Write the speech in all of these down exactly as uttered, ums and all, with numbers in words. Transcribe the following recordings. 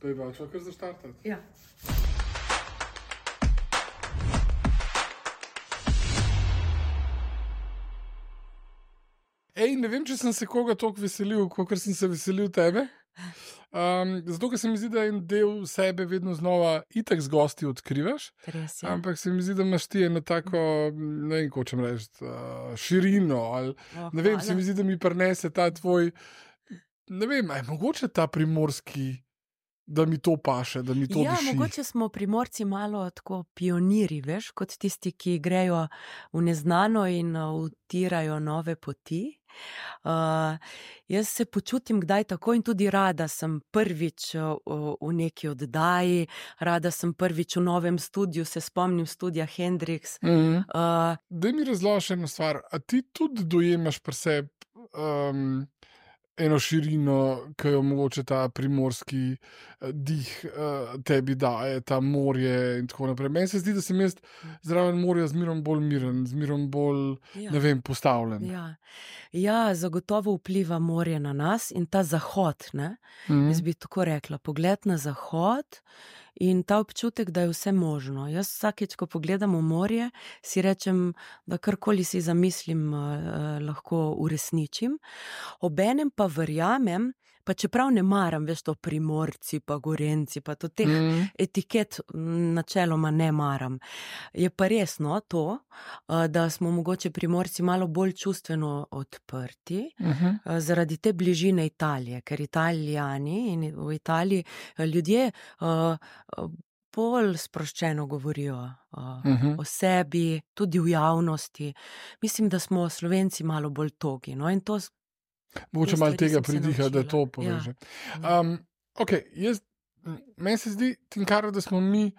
Bejba, če kar zaštartati. Ja. Ej, ne vem, če sem se koga toliko veselil, kot sem se veselil tebe. Um, zato, ker se mi zdi, da en del sebe vedno znova itak z gosti odkrivaš. Res je. Ampak se mi zdi, da imaš ti eno tako, ne vem, ko čem reči, uh, širino. Ali, Oh, ne vem, hvala. se mi zdi, da mi prinese ta tvoj, ne vem, aj mogoče ta primorski, da mi to paše, da mi to Ja, diši. mogoče smo Primorci malo tako pioniri, veš, kot tisti, ki grejo v neznano in uh, utirajo nove poti. Uh, jaz se počutim kdaj tako in tudi rada sem prvič uh, v neki oddaji, rada sem prvič v novem studiu, se spomnim studia Hendrix. Mhm. Uh, Daj mi razloži eno stvar. A ti tudi dojemaš pri sebi um, eno širino, ki jo mogoče ta primorski eh, dih uh, tebi daje, ta morje in tako naprej. Meni se zdi, da sem jaz zraven morja zmerom bolj miren, zmerom bolj, Ja. ne vem, postavljen. ja. ja, zagotovo vpliva morje na nas in ta zahod, ne? Mhm. Jaz bi tako rekla, pogled na zahod in ta občutek, da je vse možno. Jaz vsakeč, ko pogledam v morje, si rečem, da karkoli si zamislim, eh, lahko uresničim. Obenem pa verjamem, pa čeprav ne maram, veš, to Primorci pa Gorenci, pa to teh Mhm. etiket m, načeloma ne maram. Je pa res, no, to, eh, da smo mogoče Primorci malo bolj čustveno odprti, Mhm. eh, zaradi te bližine Italije, ker Italijani in v Italiji eh, ljudje eh, eh, bolj sproščeno govorijo uh, Mhm. o sebi, tudi v javnosti. Mislim, da smo Slovenci malo bolj togi. No? In to s- Mogoče te malo stvari tega sem se pridiha, da naučila. to poveže. Ja. Um, ok, jaz, m, meni se zdi, Tinkara, da smo mi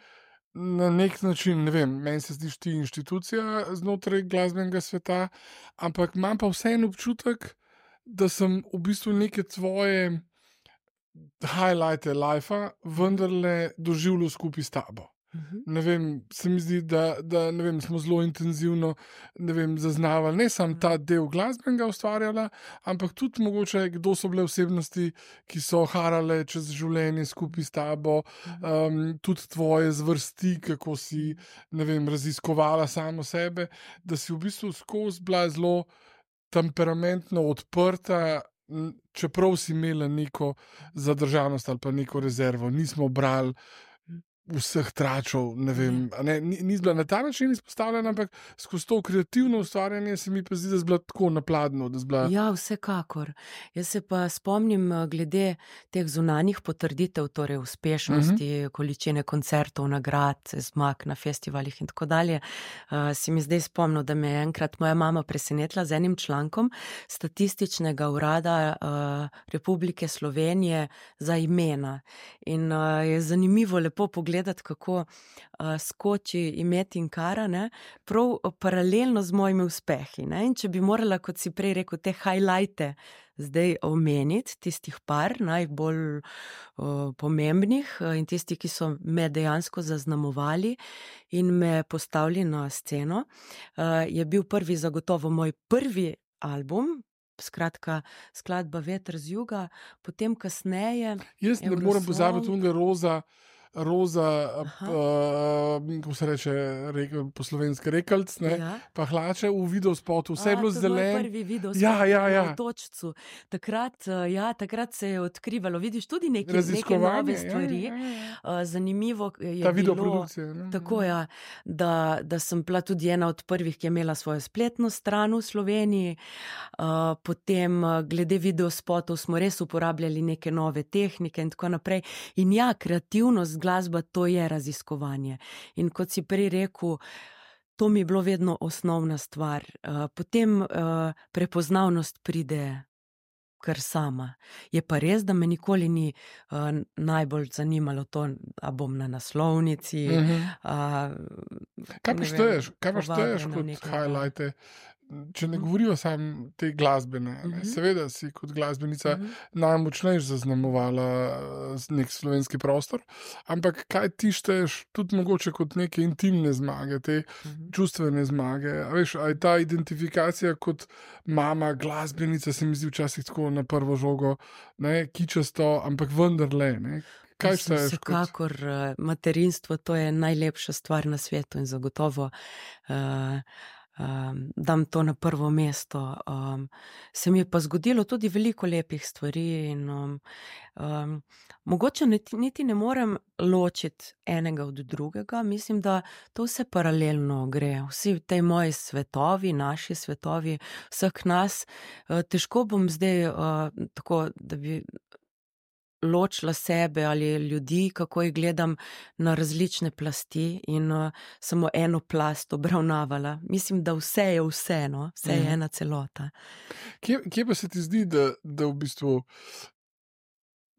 na nek način, ne vem, meni se zdiš ti inštitucija znotraj glasbenega sveta, ampak imam pa vseeno občutek, da sem v bistvu neke tvoje highlighte life vendarle doživljal skupaj s tabo. Mhm. Ne vem, se mi zdi, da, da ne vem, smo zelo intenzivno ne vem, zaznavali ne samo ta del glasbenega ustvarjala, ampak tudi mogoče, kdo so bile osebnosti, ki so harale čez življenje skupaj s tabo, um, tudi tvoje zvrsti, kako si ne vem, raziskovala samo sebe, da si v bistvu skozi bila zelo temperamentno odprta, m, čeprav si imela neko zadržanost ali pa neko rezervo. Nismo brali vseh tračov, ne vem, a ne, ni, ni bila na ta način izpostavljena, ampak skozi to kreativno ustvarjanje se mi pa zdi, da je bila tako napladno, da je bila. Ja, vsekakor. Jaz se pa spomnim eh, glede teh zunanjih potrditev, torej uspešnosti, uh -huh. količine koncertov, nagrad, zmag na festivalih in tako dalje. Uh, si mi zdaj spomnil, da me je enkrat moja mama presenetila z enim člankom Statističnega urada uh, Republike Slovenije za imena. In uh, je zanimivo lepo pogledati, kako uh, skoči ime Tinkara, ne, prav paralelno z mojimi uspehi. Ne. In če bi morala, kot si prej rekel, te highlighte zdaj omeniti, tistih par najbolj uh, pomembnih uh, in tisti, ki so me dejansko zaznamovali in me postavili na sceno, uh, je bil prvi zagotovo moj prvi album, skratka skladba Veter z juga, potem kasneje Jaz ne morem Eurosong. pozabiti unga roza, roza, Aha. uh, kako se reče, rekel, po slovenski rekelc, ne, Ja. pa hlače v videospotu, vse je A, bilo to je moj zeleno. prvi video Ja, ja, ja. v Točcu. Takrat, eh, ja, takrat se je odkrivalo, vidiš, tudi neke, neke Raziskovanje, nove ja, stvari. ja, ja, ja. Eh, Zanimivo je Ta bilo, videoprodukcija, ne. tako, ja, da, da sem bila tudi ena od prvih, ki je imela svojo spletno stran v Sloveniji. Eh, Potem eh, glede videospotov smo res uporabljali neke nove tehnike in tako naprej. In ja, kreativnost, glasba, to je raziskovanje. In kot si prej rekel, to mi je bilo vedno osnovna stvar. Uh, potem uh, prepoznavnost pride kar sama. Je pa res, da me nikoli ni uh, najbolj zanimalo to, a bom na naslovnici. Mhm. Uh, Kaj pa šteješ, kaj pa šteješ kot highlighte, če ne govorijo samo te glasbene, ne? Mhm. Seveda si kot glasbenica Mhm. najmočnejš zaznamovala eh, nek slovenski prostor, ampak kaj ti šteješ tudi mogoče kot neke intimne zmage, te Mhm. čustvene zmage, a veš, a je ta identifikacija kot mama glasbenica, se mi zdi včasih tako na prvo žogo, ne, kičasto, ampak vendarle, ne. Kaj šteješ kot? Vsekakor uh, materinstvo, to je najlepša stvar na svetu in zagotovo uh, um, dam to na prvo mesto. Um, se mi je pa zgodilo tudi veliko lepih stvari in um, um, mogoče niti, niti ne morem ločiti enega od drugega. Mislim, da to vse paralelno gre. Vsi tej moji svetovi, naši svetovi, vseh nas, uh, težko bom zdaj uh, tako, da bi ločila sebe ali ljudi, kako jih gledam na različne plasti in uh, samo eno plast obravnavala. Mislim, da vse je vse, no? Vse je ena celota. Kje, kje pa se ti zdi, da, da v bistvu,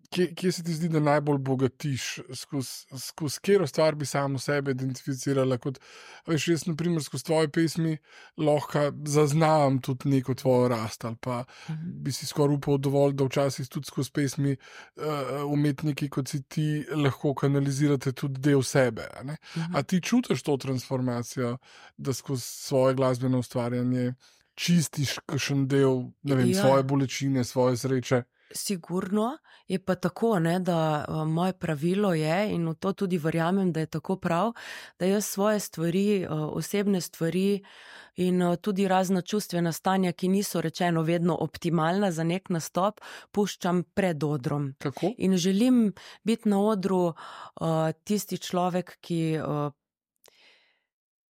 kje, kje se ti zdi, da najbolj bogatiš, skozi skozi katero stvar bi samo sebe identificirala? Kot, veš, jaz, na primer, skozi tvoje pesmi lahko zaznam tudi neko tvojo rast, ali pa bi si skoraj upal dovolj, da včasih tudi skozi pesmi uh, umetniki, kot si ti, lahko kanalizirate tudi del sebe. A, ne? A ti čutiš to transformacijo, da skozi svoje glasbeno ustvarjanje čistiš kakšen del, ne vem, Ja. svoje bolečine, svoje sreče? Sigurno je pa tako, ne, da uh, moje pravilo je, in v to tudi verjamem, da je tako prav, da jaz svoje stvari, uh, osebne stvari in uh, tudi razna čustvena stanja, ki niso rečeno vedno optimalna za nek nastop, puščam pred odrom. Kako? In želim biti na odru uh, tisti človek, ki uh,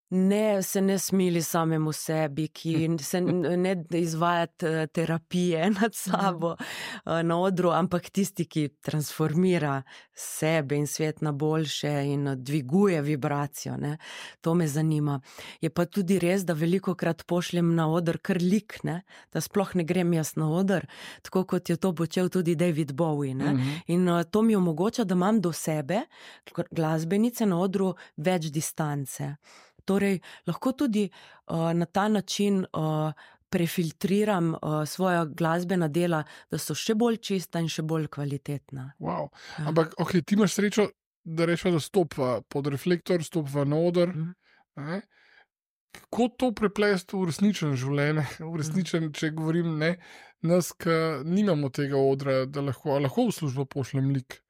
ne, se ne smili samemu sebi, ki se n- ne izvajati eh, terapije nad sabo eh, na odru, ampak tisti, ki transformira sebe in svet na boljše in eh, dviguje vibracijo. Ne. To me zanima. Je pa tudi res, da velikokrat pošljem na oder kar lik, ne, da sploh ne grem jaz na oder, tako kot je to počel tudi David Bowie. Ne. Mhm. In uh, to mi omogoča, da imam do sebe, kot glasbenice na odru, več distance. Torej, lahko tudi uh, na ta način uh, prefiltriram uh, svoja glasbena dela, da so še bolj čista in še bolj kvalitetna. Wow. Ampak, ok, ti imaš srečo, da rečeš, da stopa pod reflektor, stopa na oder. Mhm. Ne? Kako to preplesti v resničen življenje, v resničen, če govorim, ne, nas, ki nimamo tega odra, da lahko, a lahko v službo pošljem lik.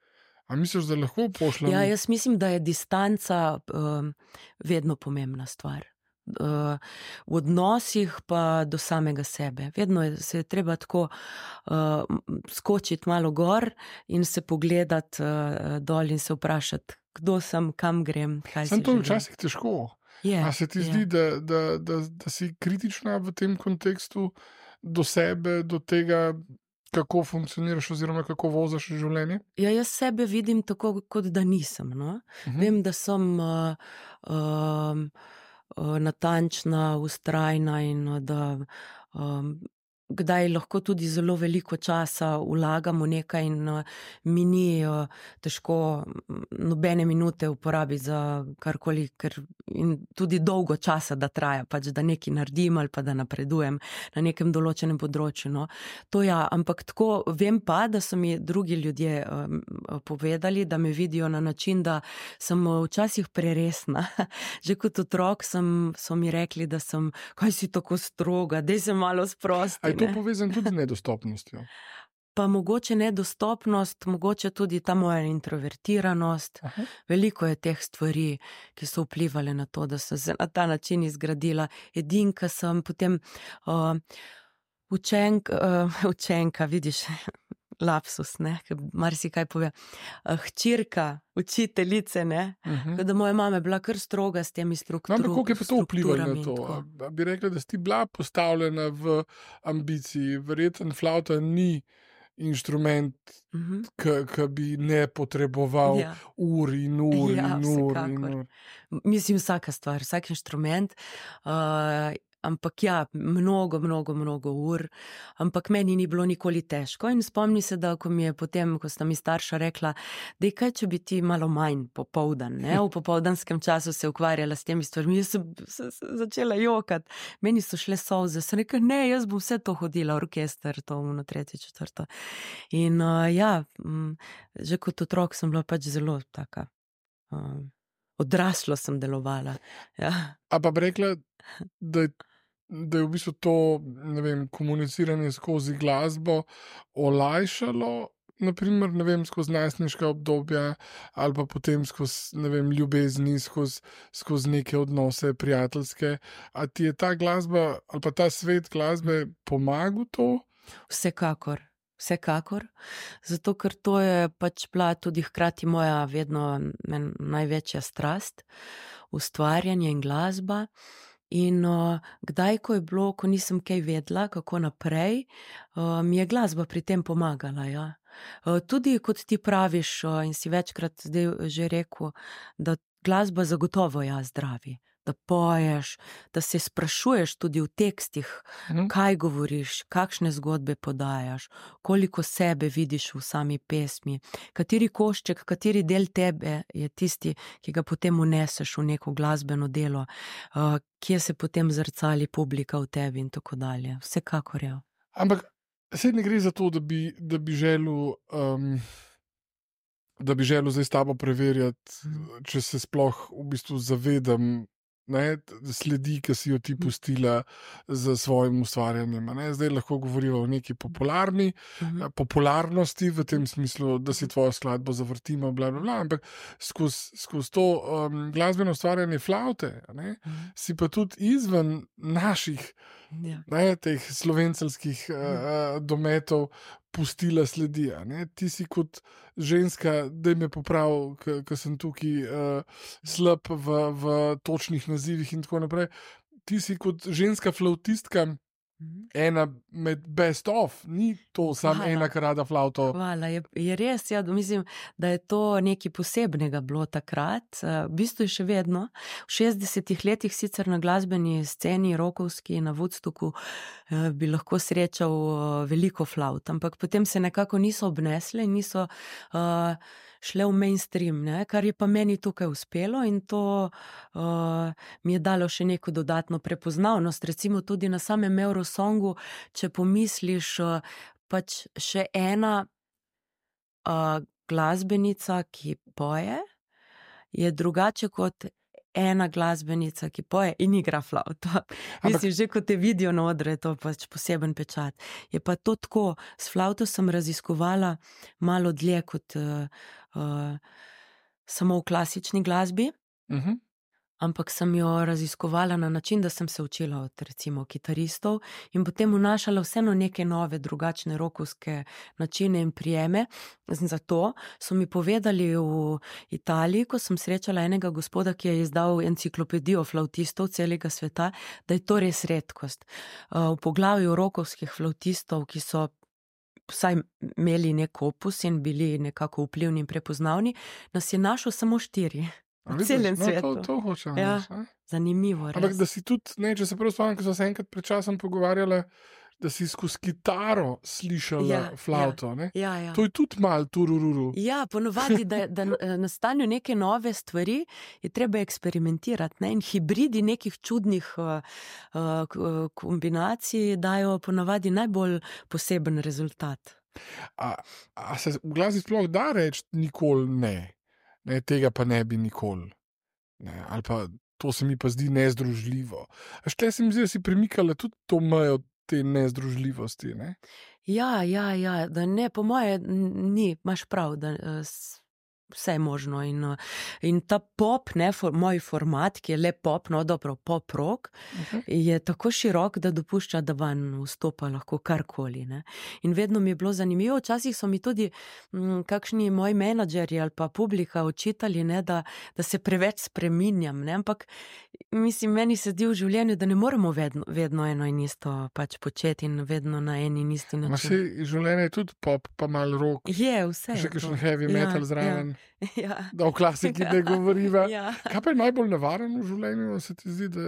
A misliš, da lahko pošljem? Ja, jaz mislim, da je distanca um, vedno pomembna stvar. Uh, v odnosih pa do samega sebe. Vedno je, se je treba tako uh, skočiti malo gor in se pogledati uh, dol in se vprašati, kdo sem, kam grem, kaj Sam si to je želim. včasih težko. Je, A se ti je. zdi, da, da, da, da si kritična v tem kontekstu do sebe, do tega, kako funkcioniraš oziroma kako voziš življenje? Ja, jaz sebe vidim tako, kot da nisem. No? Mhm. Vem, da sem uh, um, uh, natančna, vztrajna in uh, da um, kdaj lahko tudi zelo veliko časa vlagam v nekaj in uh, mi ni uh, težko mm, nobene minute uporabiti za karkoli, ker in tudi dolgo časa, da traja, pač da nekaj naredim ali pa da napredujem na nekem določenem področju. No. To ja, ampak tako vem pa, da so mi drugi ljudje um, povedali, da me vidijo na način, da sem uh, včasih preresna. Že kot otrok sem, so mi rekli, da sem, kaj si tako stroga, daj se malo sprosti. A je to ne. povezano tudi z nedostopnostjo? Pa mogoče nedostopnost, mogoče tudi ta moja introvertiranost. Aha. Veliko je teh stvari, ki so vplivali na to, da sem se na ta način izgradila. Edinka sem, potem uh, učenk, uh, učenka, vidiš, lapsus, ne, ker marsikaj pove. Uh, hčirka, učiteljice, ne, Mhm. da moja mama je bila kar stroga s temi No, strukturami. ampak kako je pa to vplivalo na to? A bi rekla, da si ti bila postavljena v ambiciji? Verjetno flauta ni inštrument, Mhm. ki bi ne potreboval Ja. ur in ur Ja, in ur in vsekakor. ur. Mislim, vsaka stvar, vsak inštrument, uh, ampak ja, mnogo, mnogo, mnogo ur, ampak meni ni bilo nikoli težko in spomni se, da ko mi je potem, ko sta mi starša rekla, da kaj, če bi ti malo manj popoldan, ne, v popoldanskem času se ukvarjala s temi stvarmi, jaz sem, sem, sem začela jokati, meni so šle solze, sem rekla, ne, jaz bom vse to hodila, orkester, to, ono, tretje, četrto. In uh, ja, m, že kot otrok sem bila pač zelo taka, um, odraslo sem delovala. Ja. A pa bi rekla, da je, da je v bistvu to, ne vem, komuniciranje skozi glasbo olajšalo naprimer, ne vem, skozi najstniška obdobja ali pa potem skozi, ne vem, ljubezni, skozi, skozi neke odnose prijateljske. A ti je ta glasba ali pa ta svet glasbe pomagal to? Vsekakor, vsekakor. Zato, ker to je pač bila tudi hkrati moja vedno men, največja strast, ustvarjanje in glasba. In uh, kdaj, ko je bilo, ko nisem kaj vedela, kako naprej, uh, mi je glasba pri tem pomagala, ja. Uh, tudi kot ti praviš, uh, in si večkrat zdaj že rekel, da glasba zagotovo ja zdravi, da poješ, da se sprašuješ tudi v tekstih, Mhm. kaj govoriš, kakšne zgodbe podajaš, koliko sebe vidiš v sami pesmi, kateri košček, kateri del tebe je tisti, ki ga potem uneseš v neko glasbeno delo, uh, kje se potem zrcali publika v tebi in tako dalje. Vsekakor je. Ampak saj ne gre za to, da bi, da bi želel, um, da bi želel zdaj s tabo preverjati, če se sploh v bistvu zavedam, ne, t- sledi, ki si jo ti pustila z svojim ustvarjanjem. a Ne? Zdaj lahko govoriva o neki popularni Mhm. eh, popularnosti, v tem smislu, da si tvojo skladbo zavrtimo, bla, bla, bla, ampak skozi skozi to um, glasbeno ustvarjanje flavte, a ne, Mhm. si pa tudi izven naših, Ja. ne, teh slovenceljskih uh, dometov pustila sledi. a Ne? Ti si kot ženska, da me popravi, ker sem tukaj uh, slab v, v točnih nazivih in tako naprej. Ti si kot ženska flavtistka Mhm. ena med best of, ni to samo Hvala. ena, ki rada flavto. Hvala, je, je res, ja, da mislim, da je to nekaj posebnega bilo takrat, eh, v bistvu je še vedno. V šestdesetih letih sicer na glasbeni sceni rokovski na Woodstocku eh, bi lahko srečal eh, veliko flavt, ampak potem se nekako niso obnesle in niso uh, šle v mainstream, ne, kar je pa meni tukaj uspelo in to uh, mi je dalo še neko dodatno prepoznavnost, recimo tudi na samem Eurosongu, če pomisliš, uh, pač še ena uh, glasbenica, ki poje, je drugače kot ena glasbenica, ki poje in igra flavto. Mislim, že ko te vidijo na odru, je to pač poseben pečat. Je pa to tako, s flavto sem raziskovala malo dlje kot uh, uh, samo v klasični glasbi, Mhm. ampak sem jo raziskovala na način, da sem se učila od recimo kitaristov in potem vnašala vseeno neke nove, drugačne rokovske načine in prijeme. Zato so mi povedali v Italiji, ko sem srečala enega gospoda, ki je izdal enciklopedijo flavtistov celega sveta, da je to res redkost. Uh, V poglavju rokovskih flavtistov, ki so vsaj imeli nek opus in bili nekako vplivni in prepoznavni, nas je našel samo štiri. A V vidiš, celem no, svetu. To, to hočem Ja. reči, a? Zanimivo, Ampak res. da si tudi, ne, če se prav spomnim, ko smo se enkrat pred časom pogovarjali, da si skozi kitaro slišala Ja, flavto. Ne? Ja, ja. To je tudi malo turururu. Ja, ponovadi, da, da eh, nastanejo neke nove stvari, je treba eksperimentirati. Ne? In hibridi nekih čudnih uh, uh, k- kombinacij dajo ponovadi najbolj poseben rezultat. A, a se v glasbi sploh da reči nikoli ne? Ne, tega pa ne bi nikoli. Ne, ali pa to se mi pa zdi nezdružljivo. A štle se mi zdi, da si premikala tudi to mejo te nezdružljivosti. Ne? Ja, ja, ja, da ne, po moje n- ni, imaš prav, da eh, s- vse je možno. In, eh, in ta pop, ne, for, moj format, ki je le pop, no dobro, pop rock, Mhm. je tako širok, da dopušča, da van vstopa lahko karkoli. Ne. In vedno mi je bilo zanimivo, včasih so mi tudi m, kakšni moji menadžerji ali pa publika očitali, ne, da, da se preveč spreminjam, ne, ampak mislim, meni se zdi v življenju, da ne moremo vedno, vedno eno in isto pač početi in vedno na eni in isti Ma način. se življenje je tudi pop, pa malo rock, Je vse. še je kakšen to. heavy metal zraven, Ja, da o klasiki ne govoriva. ja. Kaj pa je najbolj nevarno v življenju? Se ti zdi, da,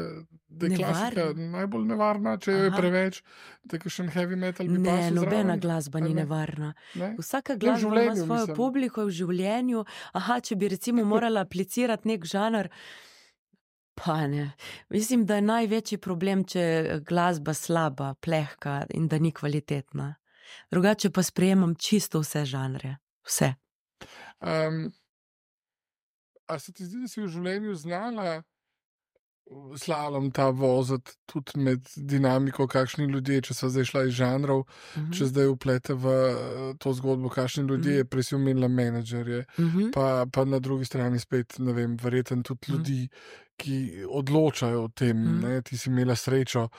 da je klasika Nevarno? najbolj nevarna, če jo je Aha. preveč, da je kakšen heavy metal bi Ne, pasel nobena zraven? glasba A ni ne? nevarna. Ne? Vsaka v glasba ima življenju, svojo mislim. publiko v življenju. Aha, če bi recimo morala aplicirati nek žanr, pa ne. Mislim, da je največji problem, če je glasba slaba, plehka in da ni kvalitetna. Drugače pa sprejemam čisto vse žanre. Vse. Um, a se ti zdi, da si v življenju znala slalom ta voziti tudi med dinamiko, kakšni ljudje, če so zdaj šla iz žanrov, uh -huh. če zdaj uplete v to zgodbo, kakšni ljudje, uh -huh. prej si omenila menedžerje, uh -huh. pa, pa na drugi strani spet, ne vem, verjetno tudi uh -huh. ljudi, ki odločajo o tem. Uh -huh. Ne? Ti si imela srečo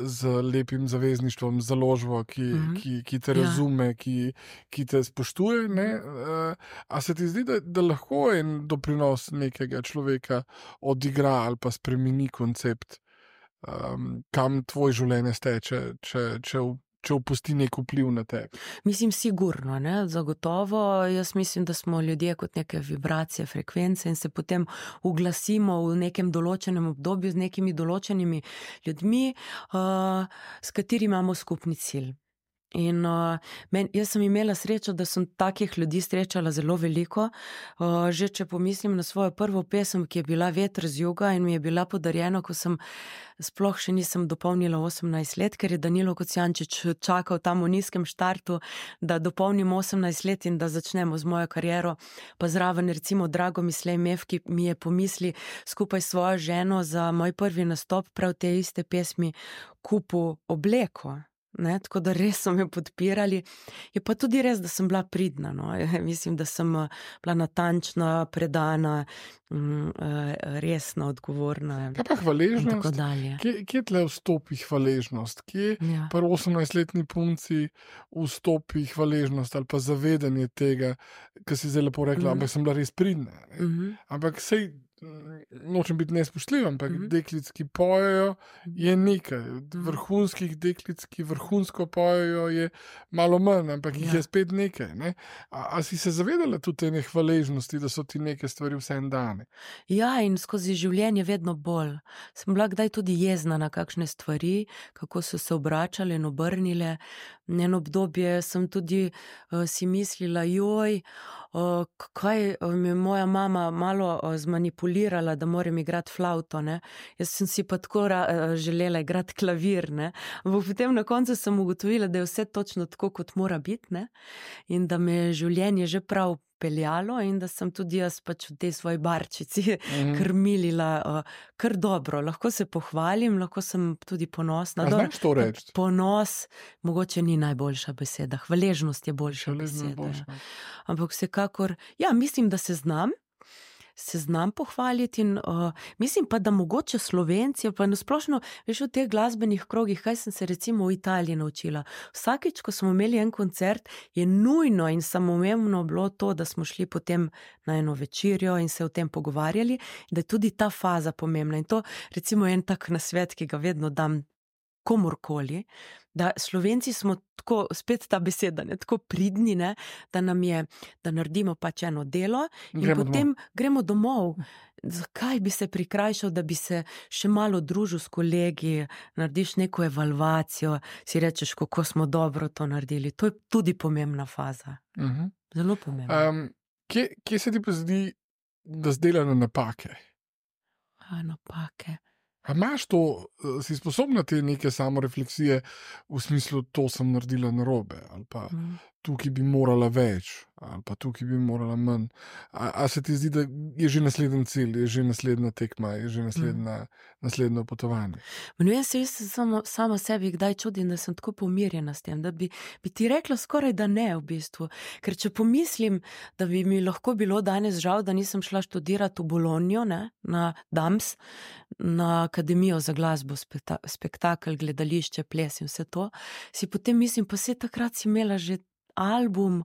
z lepim zavezništvom, z založbo, ki, uh -huh. ki, ki te razume, ja. ki, ki te spoštuje. Ne? A se ti zdi, da, da lahko en doprinos nekega človeka odigra ali pa spremeni koncept, um, kam tvoj življenje steče, če, če, če opusti nek vpliv na tebe? Mislim, sigurno, ne? Zagotovo. Jaz mislim, da smo ljudje kot neke vibracije, frekvence in se potem uglasimo v nekem določenem obdobju z nekimi določenimi ljudmi, uh, s katerimi imamo skupni cilj. In uh, men, jaz sem imela srečo, da sem takih ljudi srečala zelo veliko. Uh, že če pomislim na svojo prvo pesem, ki je bila Veter z juga in mi je bila podarjena, ko sem sploh še nisem dopolnila osemnajst let, ker je Danilo Kocijančič čakal tam v nizkem štartu, da dopolnim osemnajst let in da začnemo z mojo kariero. Pa zraven recimo Drago Mislej Mev, ki mi je pomisli skupaj s svojo ženo za moj prvi nastop prav te iste pesmi kupil obleko. Ne, tako da res so me podpirali. Je pa tudi res, da sem bila pridna. No. Mislim, da sem bila natančna, predana, resna, odgovorna. Kaj pa hvaležnost? Kje, kje tle vstopi hvaležnost? Kje ja. pri osemnajstletni punci vstopi hvaležnost ali pa zavedanje tega, kar si zdaj lepo rekla, mm. ampak sem bila res pridna. Mm -hmm. Ampak sej nočem biti nespoštljiv, ampak mm -hmm. deklic, ki pojejo, je nekaj. Vrhunskih deklic, ki vrhunsko pojejo, je malo manj, ampak ja. jih je spet nekaj. Ne? A, a si se zavedala tudi te hvaležnosti, da so ti neke stvari vse en dane? Ja, in skozi življenje vedno bolj. Sem bila kdaj tudi jezna na kakšne stvari, kako so se obračale in obrnile. Eno obdobje sem tudi uh, si mislila, joj, uh, kaj mi je moja mama malo uh, zmanipulirala, da moram igrati flavto. Ne? Jaz sem si pa tako uh, želela igrati klavir. Ne? Ampak potem na koncu sem ugotovila, da je vse točno tako, kot mora biti, ne? In da me je življenje že prav peljalo in da sem tudi jaz pač v tej svoji barčici mm. krmilila uh, kar dobro. Lahko se pohvalim, lahko sem tudi ponosna. A znaš to reči? Ponos mogoče ni najboljša beseda. Hvaležnost je boljša Hvaležnost beseda. Boljša. Ampak vsekakor, ja, mislim, da se znam. se znam pohvaliti in uh, mislim pa, da mogoče Slovenci, pa nasplošno, veš, v teh glasbenih krogih, kaj sem se recimo v Italiji naučila. Vsakič, ko smo imeli en koncert, je nujno in samoumevno bilo to, da smo šli potem na eno večerjo in se o tem pogovarjali, da je tudi ta faza pomembna. In to recimo en tak nasvet, ki ga vedno dam komorkoli, da Slovenci smo tako, spet ta beseda, ne, tako pridni, ne, da nam je, da naredimo pač eno delo in gremo potem domov. gremo domov. Zakaj bi se prikrajšal, da bi se še malo družil s kolegi, narediš neko evalvacijo, si rečeš, kako smo dobro to naredili. To je tudi pomembna faza. Uh-huh. Zelo pomembna. Um, kje, kje se ti pa zdi, da zdelajo napake? A, napake. A imaš to, si sposobna te neke samorefleksije v smislu, to sem naredila narobe, ali pa mm. tukaj bi morala več, ali pa tukaj bi morala manj. A, a se ti zdi, da je že naslednji cilj, je že naslednja tekma, je že naslednja, mm. naslednjo potovanje? No, jaz se jaz samo, sama sebi kdaj čudim, da sem tako pomirjena s tem, da bi, bi ti rekla skoraj, da ne v bistvu. Ker če pomislim, da bi mi lahko bilo danes žal, da nisem šla študirati v Bologno, ne, na Dams, na Akademijo za glasbo, spektakel, gledališče, ples in vse to, si potem mislim, pa vse takrat si imela že album,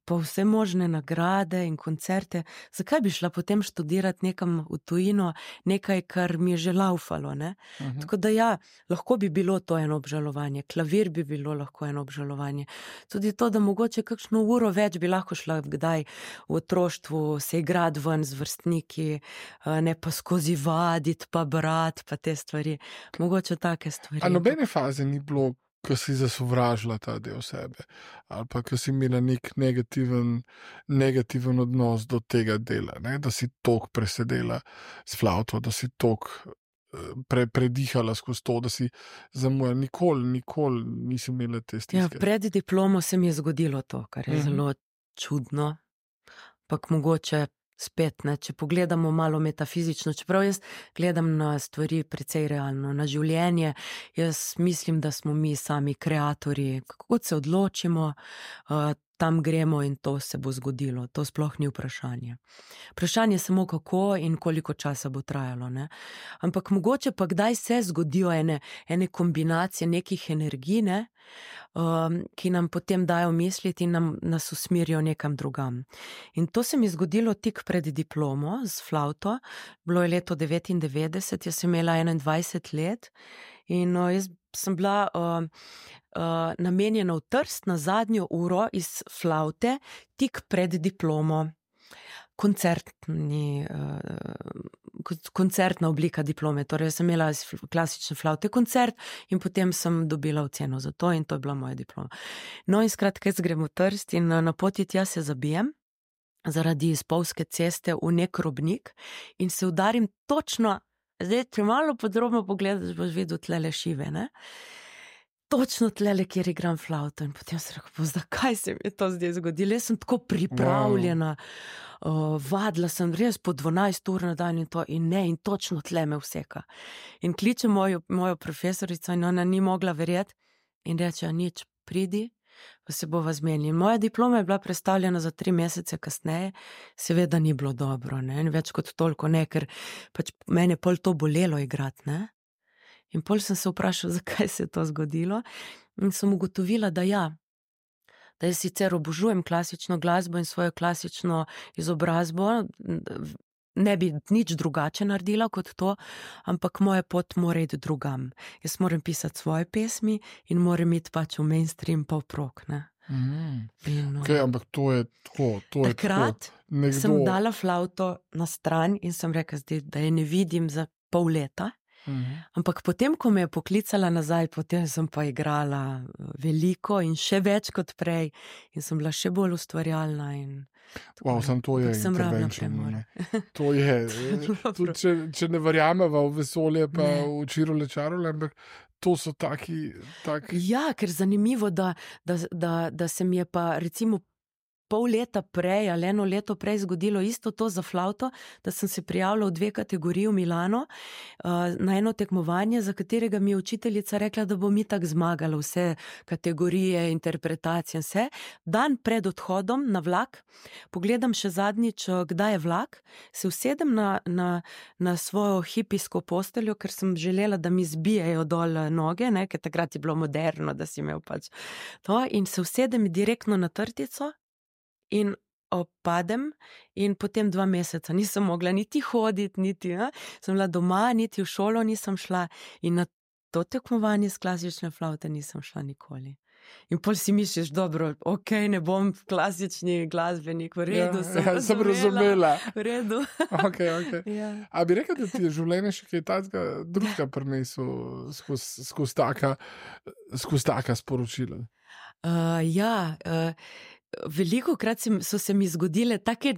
pa vse možne nagrade in koncerte. Zakaj bi šla potem študirati nekam v tujino, nekaj, kar mi je že laufalo, ne? Uh-huh. Tako da ja, lahko bi bilo to eno obžalovanje, klavir bi bilo lahko eno obžalovanje. Tudi to, da mogoče kakšno uro več bi lahko šla kdaj v otroštvu se igrati ven z vrstniki, ne pa skozi vaditi, pa brati, pa te stvari. Mogoče take stvari. A nobene faze ni bilo, ko si zasovražila ta del sebe, ali pa ko si imela nek negativen, negativen odnos do tega dela, ne? Da si tok presedela s flavto, da si tok pre, predihala skozi to, da si zamujala. Nikoli, nikoli nisi imela te stiske. Ja, pred diplomo se mi je zgodilo to, kar je uh-huh. zelo čudno, pak mogoče spet, ne, če pogledamo malo metafizično, čeprav jaz gledam na stvari precej realno, na življenje, jaz mislim, da smo mi sami kreatorji, kako se odločimo, uh, tam gremo in to se bo zgodilo, to sploh ni vprašanje. Vprašanje je samo kako in koliko časa bo trajalo, ne. Ampak mogoče pa kdaj se zgodijo ene, ene kombinacije nekih energij, ne, um, ki nam potem dajo misliti in nam, nas usmerijo nekam drugam. In to se mi je zgodilo tik pred diplomo z flavto, bilo je leto devetindevetdeset, jaz sem imela enaindvajset let in uh, jaz sem bila uh, uh, namenjena v Trst na zadnjo uro iz flavte tik pred diplomo. Koncertni, uh, koncertna oblika diplome, torej sem imela iz klasične flavte koncert in potem sem dobila oceno za to in to je bila moja diploma. No in skratka, jaz grem v Trst in na poti tja se zabijem zaradi spolzke ceste v nek robnik in se udarim točno, zdaj, če malo podrobno pogledaš, boš videl tlele šive, ne? Točno tlele, kjer igram flavto in potem se rekel, zakaj se mi je to zdaj zgodilo? Jaz sem tako pripravljena, wow. uh, vadila sem res po dvanajst ur na dan in to in ne, in točno tle me vseka. In kliče mojo, mojo profesorico in ona ni mogla verjeti in reče, nič, pridi, pa se bova zmenili. In moja diploma je bila predstavljena za tri mesece kasneje, seveda ni bilo dobro, ne, in več kot toliko ne, ker pač mene pol to bolelo igrati, ne. In pol sem se vprašala, zakaj se je to zgodilo in sem ugotovila, da ja, da jaz sicer obožujem klasično glasbo in svojo klasično izobrazbo, ne bi nič drugače naredila kot to, ampak moja pot mora iti drugam. Jaz moram pisati svoje pesmi in moram iti pač v mainstream pop rock, ne. Mm. In, Okay, ampak to je tako, to je takrat tako. Nekdo... sem dala flavto na stran in sem rekla, zdaj, da je ne vidim za pol leta. Mhm. Ampak potem, ko me je poklicala nazaj, potem sem pa igrala veliko in še več kot prej in sem bila še bolj ustvarjalna in Wow, sam to je sem rabila intervention, premor. ne. To je, tudi če, če ne verjameva v vesolje pa Ne. v čirole čarole, ampak to so taki, taki... Ja, ker zanimivo, da, da, da, da se mi je pa recimo pol leta prej ali eno leto prej zgodilo isto to za flavto, da sem se prijavila v dve kategoriji v Milano uh, na eno tekmovanje, za katerega mi je učiteljica rekla, da bom itak zmagala vse kategorije, interpretacije in vse. Dan pred odhodom na vlak, pogledam še zadnjič, kdaj je vlak, se usedem na, na, na svojo hipijsko posteljo, ker sem želela, da mi zbijajo dol noge, ne, ker takrat je bilo moderno, da si imel pač to, in se usedem direktno na trtico in opadem in potem dva meseca nisem mogla niti hoditi, niti, ne? Sem bila doma, niti v šolo nisem šla in na to tekmovanje s klasične flavte nisem šla nikoli. In pol si misliš, dobro, ok, ne bom klasični glasbenik, v redu, Ja, sem ja, sem razumela, razumela. v redu. Okay, okay. Ja. A bi rekel, da ti je življenje še kaj takega drugega prinesel skozi skozi taka, skozi taka sporočila? Uh, ja, uh, veliko krat se, so se mi zgodile take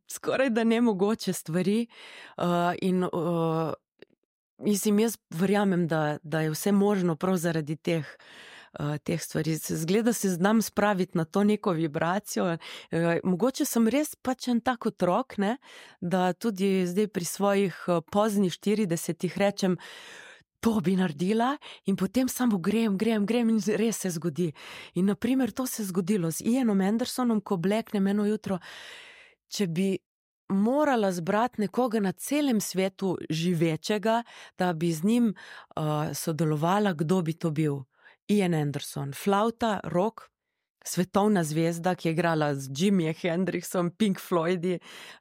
skoraj da nemogoče stvari uh, in uh, mislim, jaz verjamem, da, da je vse možno prav zaradi teh Uh, teh stvari. Zgleda se znam spraviti na to neko vibracijo. Uh, mogoče sem res pač en tak otrok, ne, da tudi zdaj pri svojih uh, poznih štiridesetih rečem, to bi naredila in potem samo grem, grem, grem in res se zgodi. In naprimer to se je zgodilo z Ianom Andersonom, ko bleknem eno jutro, če bi morala zbrati nekoga na celem svetu živečega, da bi z njim uh, sodelovala, kdo bi to bil. Ian Anderson, flauta, rock, svetovna zvezda, ki je igrala z Jimijem Hendrixom, Pink Floydi,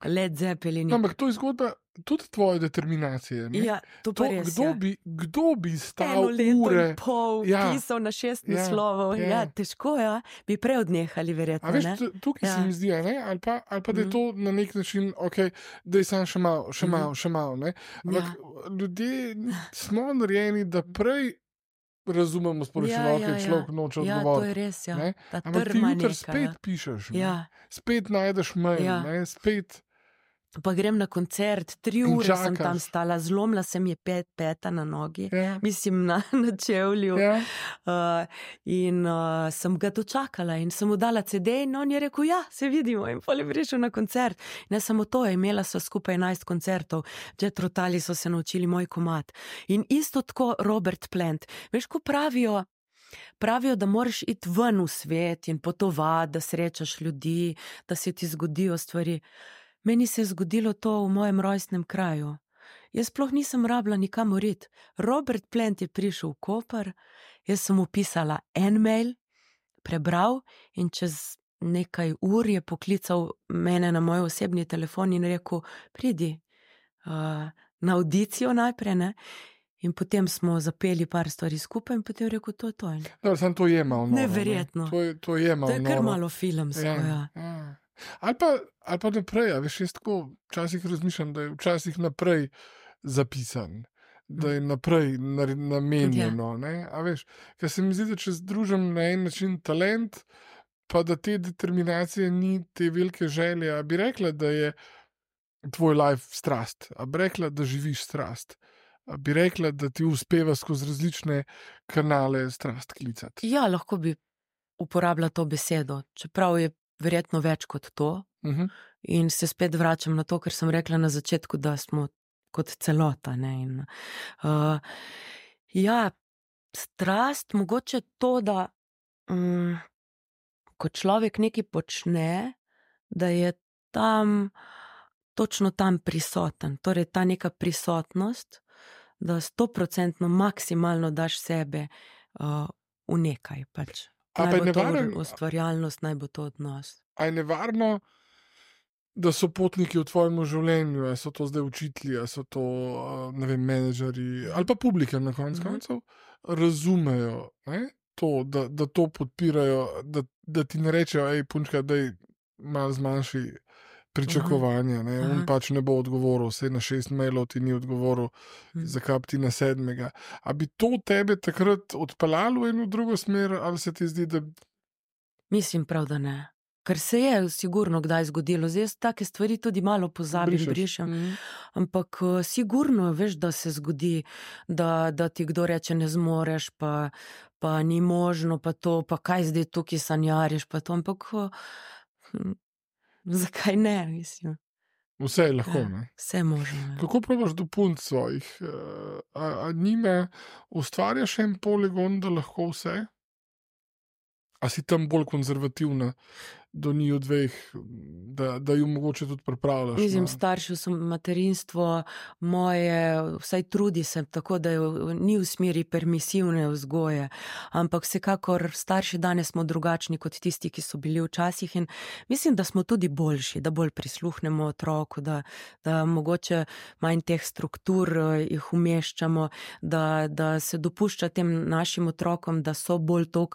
Led Zeppelin. No, ampak to je zgodba tudi tvoje determinacije. Ne? Ja, to pa To, res, kdo, ja. bi, kdo bi stal Eno leto ure... in pol Ja. pisal na šest Ja, naslovov. ja. Ja, težko, ja. Bi prej odnehali, verjetno, A veš, ne? tu- tukaj Ja. se mi zdi, a ne? Ali pa, ali pa da je Mhm. to na nek način, ok, da je sam še malo, še Mhm. malo, še malo, ne? Ampak ljudje smo narejeni, da prej razumemo sporočilo, Ja, ki ja, je človek noče Ja, to je odgovoriti. res, ja. ne? Ta Ampak ti trma jutri neka, spet ja. pišeš, ne? Ja, Spet najdeš mail, Ja. ne? Spet Pa grem na koncert, tri In ure sem čakaš. tam stala, zlomila se mi je pet, peta na nogi, Ja. mislim na, na čevlju. Ja. Uh, in uh, sem ga dočakala in sem mu dala ce de in on je rekel, ja, se vidimo in pol je prišel na koncert. Ne samo to, imela so skupaj enajst koncertov, Jethro Tully so se naučili moj komad. In isto tako Robert Plant. Veš, ko pravijo, pravijo, da moraš iti ven v svet in potovati, da srečaš ljudi, da se ti zgodijo stvari. Meni se je zgodilo to v mojem rojstnem kraju. Jaz sploh nisem rabila nikamor iti. Robert Plant je prišel v Koper, jaz sem mu pisala en mail, prebral in čez nekaj ur je poklical mene na moj osebni telefon in rekel, pridi uh, na audicijo najprej, ne? In potem smo zapeli par stvari skupaj in potem rekel, to je to. Dobro, sam to je malo noro. Neverjetno. Ne? To je, to je malo To je kar noro. malo filmsko, ja. ja. ja. Ali pa, ali pa naprej, a veš, jaz tako včasih razmišljam, da je včasih naprej zapisan, da je naprej nar- namenjeno, ne, a veš, ker se mi zdi, da če združim na en način talent, pa da te determinacije ni, te velike želje, a bi rekla, da je tvoj life strast, a bi rekla, da živiš strast, a bi rekla, da ti uspeva skozi različne kanale strast klicati. Ja, lahko bi uporabila to besedo, čeprav je verjetno več kot to. Uh-huh. In se spet vračam na to, kar sem rekla na začetku, da smo kot celota. Ne? In, uh, ja, strast, mogoče to, da um, ko človek nekaj počne, da je tam, točno tam prisoten. Torej ta neka prisotnost, da stoprocentno maksimalno daš sebe uh, v nekaj pač. A pa Naj je bo to nevaren- ustvarjalnost, naj bo to odnos. A je nevarno, da so potniki v tvojem življenju, a so to zdaj učitelji, a so to, a, ne vem, menedžerji ali pa publika na koncu Mhm. koncev, razumejo, ne, to, da, da to podpirajo, da, da ti ne rečejo, ej, punčka, daj malo zmanjši pričakovanja, ne, on Aha. pač ne bo odgovoril, saj na šest mailov ti ni odgovoril, Mhm. zakaj bi ti na sedmega. A bi to tebe takrat odpeljalo v eno drugo smer, ali se ti zdi, da Mislim prav, da ne. Ker se je sigurno kdaj zgodilo. Zdaj jaz take stvari tudi malo pozabim, brišeš? brišem. Mhm. Ampak eh, sigurno veš, da se zgodi, da, da ti kdo reče ne zmoreš, pa, pa ni možno, pa to, pa kaj zdaj tukaj sanjariš, pa to, ampak eh, hm, zakaj ne, mislim. Vse je lahko, Ja, ne. vse možno. Ja. Kako probaš dopolniti svojih? eh, A, a njima ustvarjaš en poligon, da lahko vse? A si tam bolj konzervativna do njiju dveh, da, da ju mogoče tudi pripravljaš? Mislim, na- staršev sem materinstvo moje, vsaj trudi se tako, da je, v- ni v smeri permisivne vzgoje, ampak vsekakor starši danes smo drugačni kot tisti, ki so bili včasih in mislim, da smo tudi boljši, da bolj prisluhnemo otroku, da, da mogoče manj teh struktur eh, jih umeščamo, da, da se dopušča tem našim otrokom, da so bolj to,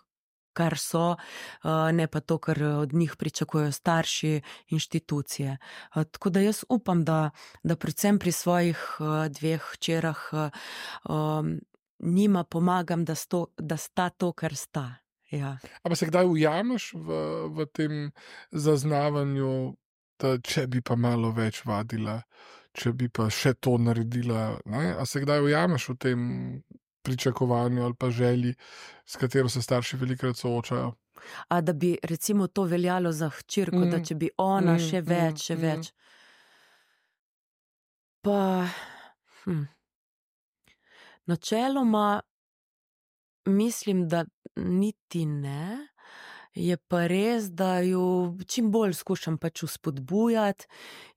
kar so, eh, ne pa to, kar od njih pričakujejo starši, inštitucije. Eh, Tako da jaz upam, da, da predvsem pri svojih eh, dveh hčerah eh, um, njima pomagam, da, sto, da sta to, kar sta. Ja. A pa se kdaj ujameš v, v tem zaznavanju, da če bi pa malo več vadila, če bi pa še to naredila, ne? A se kdaj ujameš v tem pričakovanju ali pa želji, s katero se starši velikokrat soočajo? A da bi recimo to veljalo za hčerko, mm. da Mm. če bi ona Mm, še mm, več, še mm. več. Pa, hm. Načeloma mislim, da niti ne. Je pa res, da ju čim bolj skušam pač vzpodbujati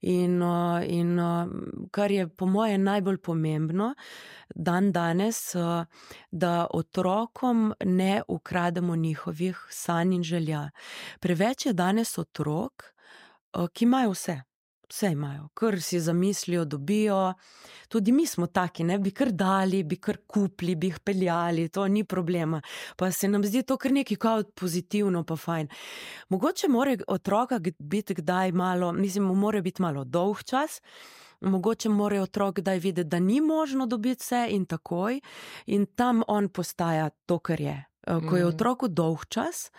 in, uh, in uh, kar je po moje najbolj pomembno dan danes, uh, da otrokom ne ukrademo njihovih sanj in želja. Preveč je danes otrok, uh, ki imajo vse. Vse imajo, kar si zamislijo, dobijo. Tudi mi smo taki, ne, bi kar dali, bi kar kupili, bi jih peljali, to ni problema. Pa se nam zdi to kar nekaj kao pozitivno, pa fajn. Mogoče mora otroka biti kdaj malo, mislim, mu mora biti malo dolg čas, mogoče mora otrok kdaj videti, da ni možno dobiti vse in takoj, in tam on postaja to, kar je. Ko je Mhm. otroku dolg čas,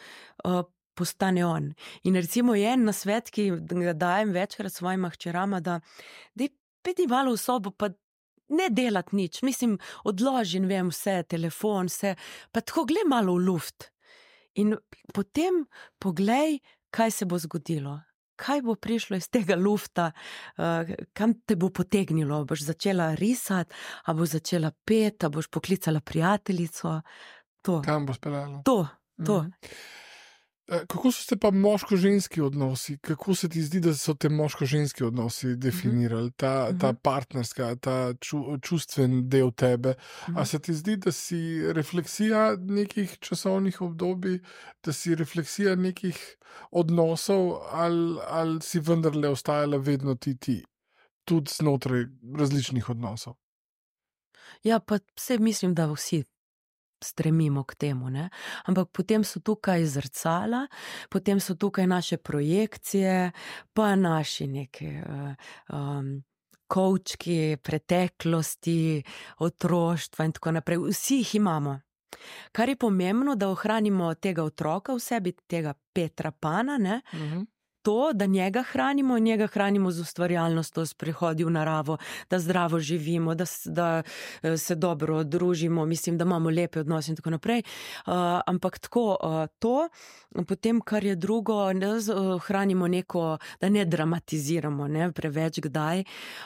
postane on. In recimo je en nasvet, ki ga dajem večkrat svojima hčerama, da daj pedi malo v sobo, pa ne delati nič. Mislim, odloži, ne vem, vse, telefon, vse, pa tako glej malo v luft. In potem poglej, kaj se bo zgodilo. Kaj bo prišlo iz tega lufta, uh, kam te bo potegnilo? Boš začela risati, a boš začela peti, a boš poklicala prijateljico? To. Kam bo speljalo? To, to. Mhm. Kako so se pa moško-ženski odnosi? Kako se ti zdi, da so te moško-ženski odnosi definirali? Ta, ta partnerska, ta ču, čustven del tebe. A se ti zdi, da si refleksija nekih časovnih obdobij, da si refleksija nekih odnosov, ali, ali si vendarle ostajala vedno ti ti, tudi znotraj različnih odnosov? Ja, pa vse mislim, da vsi stremimo k temu, ne? Ampak potem so tukaj zrcala, potem so tukaj naše projekcije, pa naši neki um, kovčki preteklosti, otroštva in tako naprej. Vsi jih imamo. Kar je pomembno, da ohranimo tega otroka v sebi, tega Petra Pana, ne? Uh-huh. To, da njega hranimo in njega hranimo z ustvarjalnostjo, s prihodi v naravo, da zdravo živimo, da, da se dobro družimo, mislim, da imamo lepe odnose in tako naprej. Uh, ampak tako, uh, to, potem, kar je drugo, da uh, hranimo neko, da ne dramatiziramo, ne, preveč kdaj.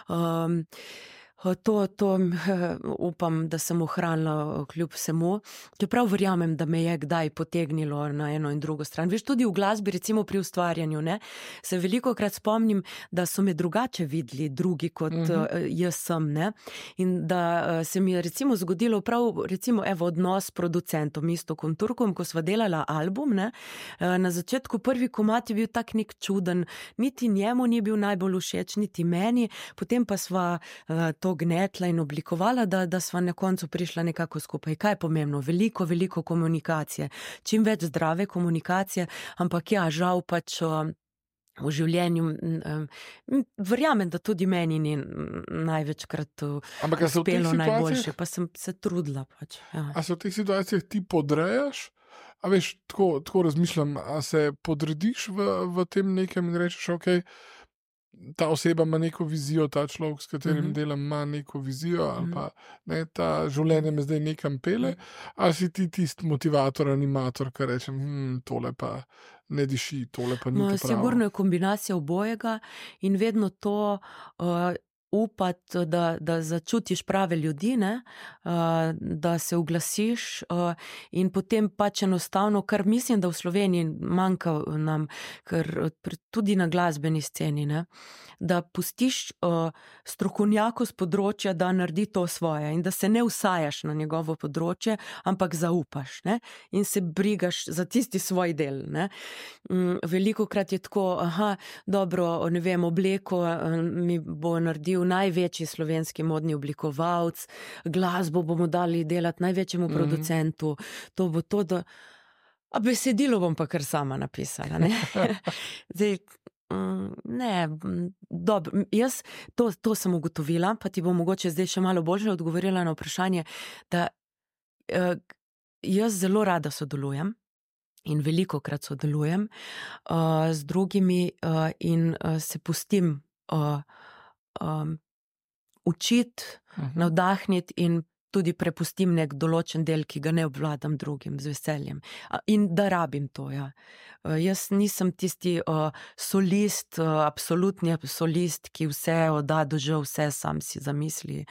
Um, To, to upam, da sem ohranila kljub vsemu. Čeprav verjamem, da me je kdaj potegnilo na eno in drugo stran. Veš, tudi v glasbi, recimo pri ustvarjanju, ne, se veliko krat spomnim, da so me drugače videli drugi kot mm-hmm. jaz sem, ne. In da se mi je recimo zgodilo prav, recimo, evo, odnos s producentom Iztokom Turkom, ko sva delala album, ne. Na začetku prvi komad je bil tak nek čuden, niti njemu ni bil najbolj všeč, niti meni, potem pa sva to gnetla in oblikovala, da, da sva na koncu prišla nekako skupaj. Kaj je pomembno? Veliko, veliko komunikacije. Čim več zdrave komunikacije, ampak ja, žal pač v življenju verjamem, da tudi meni ni največkrat uspelo najboljše, pa sem se trudila pač. Ja. A se v teh situacijah ti podrejaš? A veš, tako, tako razmišljam, a se podrediš v, v tem nekem in rečeš, okej, okay, ta oseba ima neko vizijo, ta človek, s katerim mm-hmm. delam, ima neko vizijo, ali pa ne, ta življenje me zdaj nekam pele, ali si ti tisti motivator, animator, ki reče, hm, tole pa ne diši, tole pa ni to pravo. Sigurno je kombinacija obojega in vedno to uh, upati, da, da začutiš prave ljudi, ne? Uh, da se uglasiš uh, in potem pač enostavno, kar mislim, da v Sloveniji manjka nam, ker tudi na glasbeni sceni, ne? Da pustiš uh, strokovnjaku z področja, da naredi to svoje in da se ne usajaš na njegovo področje, ampak zaupaš, ne? In se brigaš za tisti svoj del. Ne? Um, veliko krat je tako, aha, dobro, ne vem, obleko uh, mi bo naredil največji slovenski modni oblikovalec, glasbo bomo dali delati največjemu mm-hmm. producentu, to bo to, da... A besedilo bom pa kar sama napisala, ne? Zdaj, ne, dobro, jaz to, to sem ugotovila, pa ti bom mogoče zdaj še malo bolje odgovorila na vprašanje, da eh, jaz zelo rada sodelujem in veliko krat sodelujem uh, z drugimi uh, in uh, se pustim uh, um, učiti, uh-huh. navdahniti in tudi prepustim nek določen del, ki ga ne obvladam drugim z veseljem. In da rabim to, ja. Jaz nisem tisti uh, solist, uh, absolutni solist, ki vse odda do že vse sam si zamisli.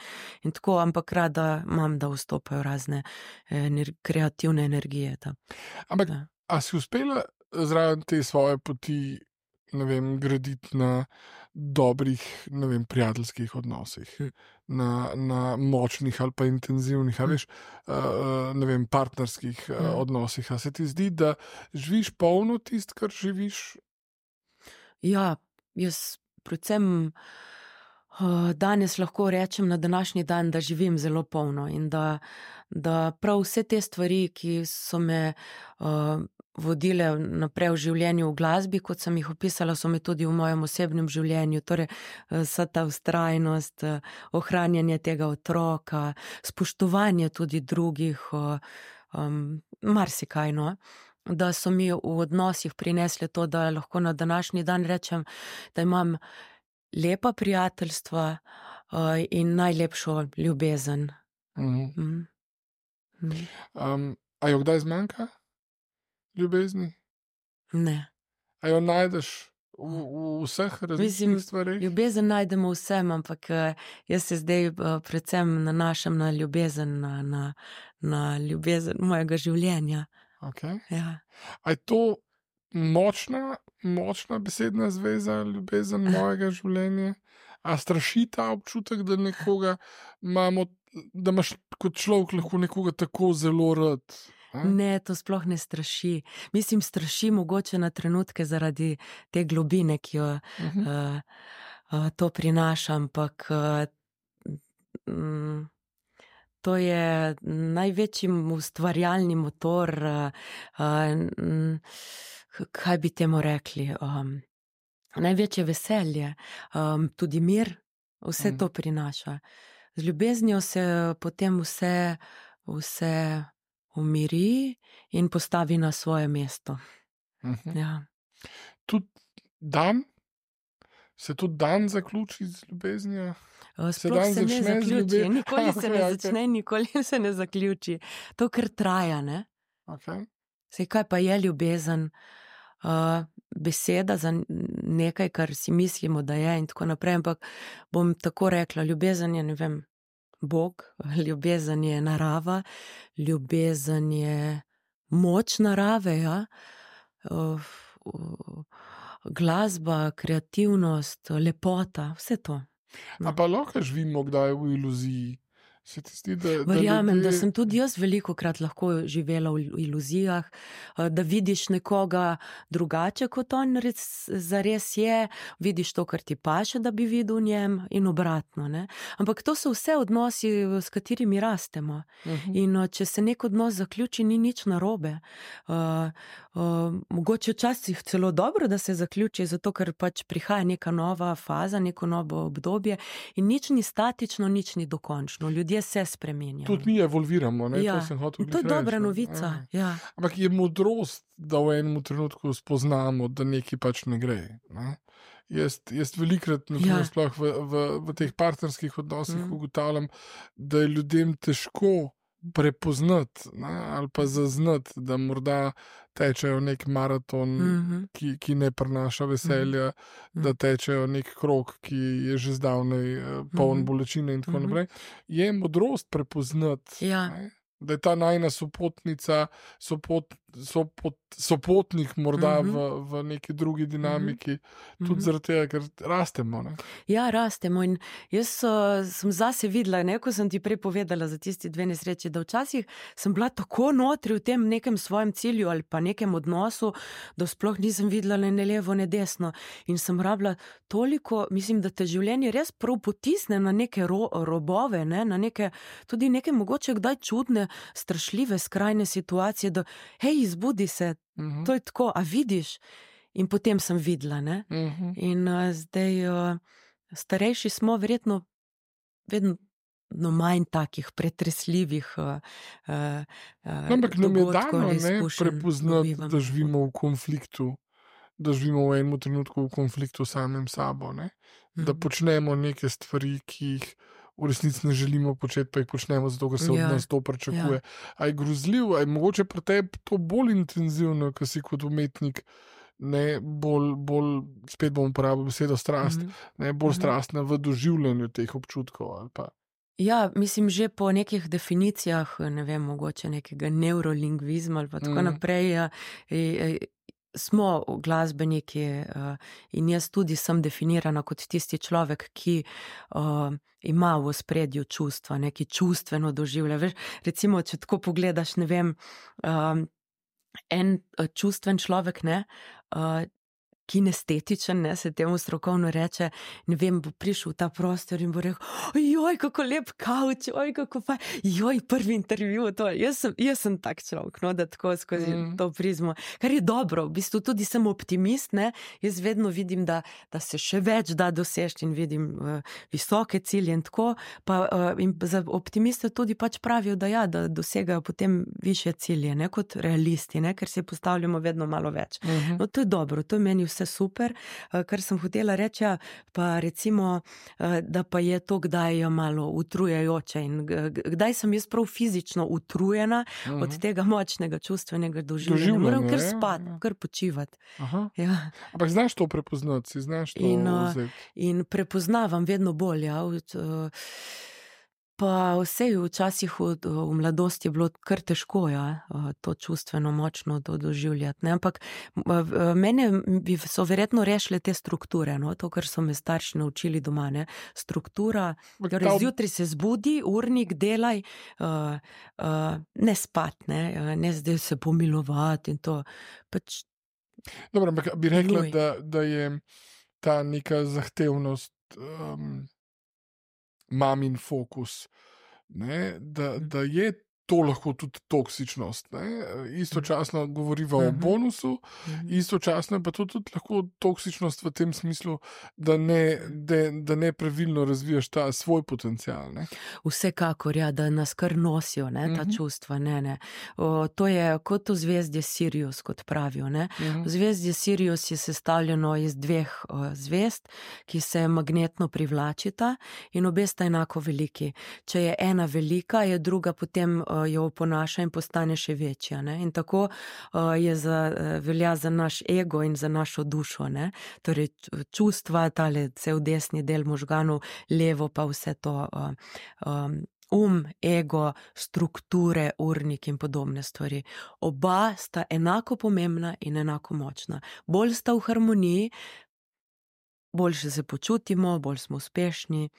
In tako, ampak rada imam, da vstopajo razne ener- kreativne energije. Da. Ampak, da. A si uspela zraven te svoje poti, ne vem, graditi na dobrih, ne vem, prijateljskih odnosih, na, na močnih ali pa intenzivnih, a veš, uh, ne vem, partnerskih uh, odnosih. A se ti zdi, da živiš polno tist, kar živiš? Ja, jaz predvsem uh, danes lahko rečem na današnji dan, da živim zelo polno in da, da prav vse te stvari, ki so me uh, vodile naprej v življenju v glasbi, kot sem jih opisala, so me tudi v mojem osebnem življenju, torej vsa ta vztrajnost, ohranjanje tega otroka, spoštovanje tudi drugih, um, marsikaj, no. da so mi v odnosih prinesli to, da lahko na današnji dan rečem, da imam lepa prijateljstva uh, in najlepšo ljubezen. Mhm. Mm. Mm. Um, a jo kdaj zmanjka ljubezni? Ne. A jo najdeš v, v vseh Mislim, različnih stvareh? ljubezen najdemo vsem, ampak eh, jaz se zdaj eh, predvsem nanašam na ljubezen, na, na, na ljubezen mojega življenja. Okay. Ja. A je to močna, močna besedna zveza, ljubezen mojega življenja? A straši ta občutek, da nekoga imamo, da imaš kot človek lahko nekoga tako zelo rad? A? Ne, to sploh ne straši. Mislim, straši mogoče na trenutke zaradi te globine, ki jo Mhm. uh, uh, to prinaša, ampak uh, mm, to je največji ustvarjalni motor, uh, uh, mm, kaj bi temu rekli, um, največje veselje, um, tudi mir, vse Mm. to prinaša. Z ljubeznijo se potem vse, vse umiri in postavi na svoje mesto. Mhm. Ja. Tudi dan, se tudi dan zaključi z ljubeznijo? Uh, Se Sploh dan se ne začne z zaključi, ljubezni- nikoli se Okej, ne okej. začne, nikoli se ne zaključi. To, kar traja, ne? Okay. Sej kaj pa je ljubezen? Uh, beseda za n- nekaj, kar si mislimo, da je in tako naprej, ampak bom tako rekla, ljubezen je, ne vem, Bog, ljubezen je narava, ljubezen je moč narave, ja. Uh, uh, glasba, kreativnost, lepota, vse to. A pa lahko živimo kdaj v iluziji? Se ti zdi, da, da Verjamem, ljudje... da sem tudi jaz veliko krat lahko živela v iluzijah, eh, da vidiš nekoga drugače, kot on res, zares je, vidiš to, kar ti paše, da bi videl v njem in obratno. Ne? Ampak to so vse odnosi, s katerimi rastemo. Mhm. In eh, če se nek odnos zaključi, ni nič narobe. Uh, uh, mogoče včasih celo dobro, da se zaključi, zato ker pač prihaja neka nova faza, neko novo obdobje in nič ni statično, nič ni dokončno. Ljudje se spremenjajo. Tudi mi evolviramo, ne? Ja. To sem hotel In to je glih dobra reči, ne. novica. Ja. Ja. Ampak je modrost, da v enem trenutku spoznamo, da nekaj pač ne gre. Ne? Jaz, jaz velikrat, Ja. ja. sploh v, v, v teh partnerskih odnosih Mhm. mm. ugotavljam, da je ljudem težko prepoznati, ne, ali pa zaznati, da morda tečejo nek maraton, Mhm. ki, ki ne prinaša veselja, Mhm. da tečejo nek krog, ki je že zdavnaj eh, poln Mhm. bolečine in tako Mhm. naprej. Je modrost prepoznati, Ja. ne, da je ta najna sopotnica, sopot, sopot, sopotnik morda Mhm. v, v neki drugi dinamiki, tudi Mhm. zaradi tega, ker rastemo. Ne. Ja, rastemo in jaz uh, sem zase videla, ne, ko sem ti prej povedala za tisti dve nesreči, da včasih sem bila tako notri v tem nekem svojem cilju ali pa nekem odnosu, da sploh nisem videla ne levo, ne desno in sem rabila toliko, mislim, da te življenje res prav potisne na neke ro, robove, ne, na neke, tudi neke mogoče kdaj čudne, strašljive, skrajne situacije, da hej, izbudi se, Mhm. to je tako, a vidiš? In potem sem videla, ne. Mhm. In uh, zdaj uh, starejši smo, verjetno vedno no, manj takih pretresljivih uh, uh, No, ampak nam je dogodkov dano ali ne izkušenj prepoznati, dobivamo. da živimo v konfliktu, da živimo v enem trenutku v konfliktu s samim sabo, ne? Da Mhm. počnemo neke stvari, ki jih v resnici ne želimo početi, pa jih počnemo zato, ker se Ja, od nas to pričakuje. A je grozljivo, a je mogoče pri tebi to bolj intenzivno, ker si kot umetnik, ne, bolj, bolj, spet bom uporabil besedo strast, Mhm. ne, bolj Mhm. strastna v doživljanju teh občutkov ali pa. Ja, mislim, že po nekih definicijah, ne vem, mogoče nekega neurolingvizma ali pa tako Mhm. naprej, ja, e, e, smo glasbeniki eh, in jaz tudi sem definirana kot tisti človek, ki uh, ima v ospredju čustva, neki čustveno doživlja. Veš, recimo, če tako pogledaš, ne vem, um, en uh, čustven človek, ne, uh, kinestetičen, ne, se temu strokovno reče, ne vem, bo prišel v ta prostor in bo rekel, joj, kako lep kavč, oj, kako faj, joj, prvi intervju, to, jaz sem, jaz sem tak človek, no, da tako skozi mm. to prizmo, kar je dobro, v bistvu tudi sem optimist, ne, jaz vedno vidim, da, da se še več da doseči in vidim uh, visoke cilje in tako, pa uh, in za optimiste tudi pač pravijo, da ja, da dosegajo potem više cilje, ne, kot realisti, ne, ker si postavljamo vedno malo več. Mm-hmm. No, to je dobro, to je meni vse super, uh, kar sem hotela reči, pa recimo, uh, da pa je to kdaj malo utrujajoče in kdaj sem jaz prav fizično utrujena mm-hmm. od tega močnega čustvenega doživljanja. Moram kar spati, ja, ja. kar počivati. Ja. Ampak znaš to prepoznati, si znaš to in, vzeti? In prepoznavam vedno bolj, ja. Pa vse včasih v, v mladosti je bilo kar težko, ja, to čustveno močno to doživljati. Ne? Ampak mene so verjetno rešile te strukture, no? To, kar so me starši naučili doma. Ne? Struktura, torej zjutraj se zbudi, urnik, delaj, uh, uh, ne spat, ne, ne zdaj se pomilovati in to. Pač Dobro, ampak bi rekla, da, da je ta neka zahtevnost um, mamin fokus, ne, da, da je to lahko tudi toksičnost. Ne. Istočasno govoriva uh-huh. o bonusu, uh-huh. istočasno je pa to tudi lahko toksičnost v tem smislu, da ne, da, da ne pravilno razvijaš ta svoj potencial. Ne. Vsekakor, ja, da nas kar nosijo, ne, ta uh-huh. čustva. Ne, ne. O, to je kot v zvezdje Sirius, kot pravijo. Ne. Uh-huh. V zvezdje Sirius je sestavljeno iz dveh o, zvezd, ki se magnetno privlačita in obe sta enako veliki. Če je ena velika, je druga potem o, jo oponaša in postane še večja. Ne? In tako uh, je za, velja za naš ego in za našo dušo. Ne? Torej čustva, tale cel desni del možganov, levo pa vse to uh, um, um, ego, strukture, urnik in podobne stvari. Oba sta enako pomembna in enako močna. Bolj sta v harmoniji, boljše se počutimo, bolj smo uspešni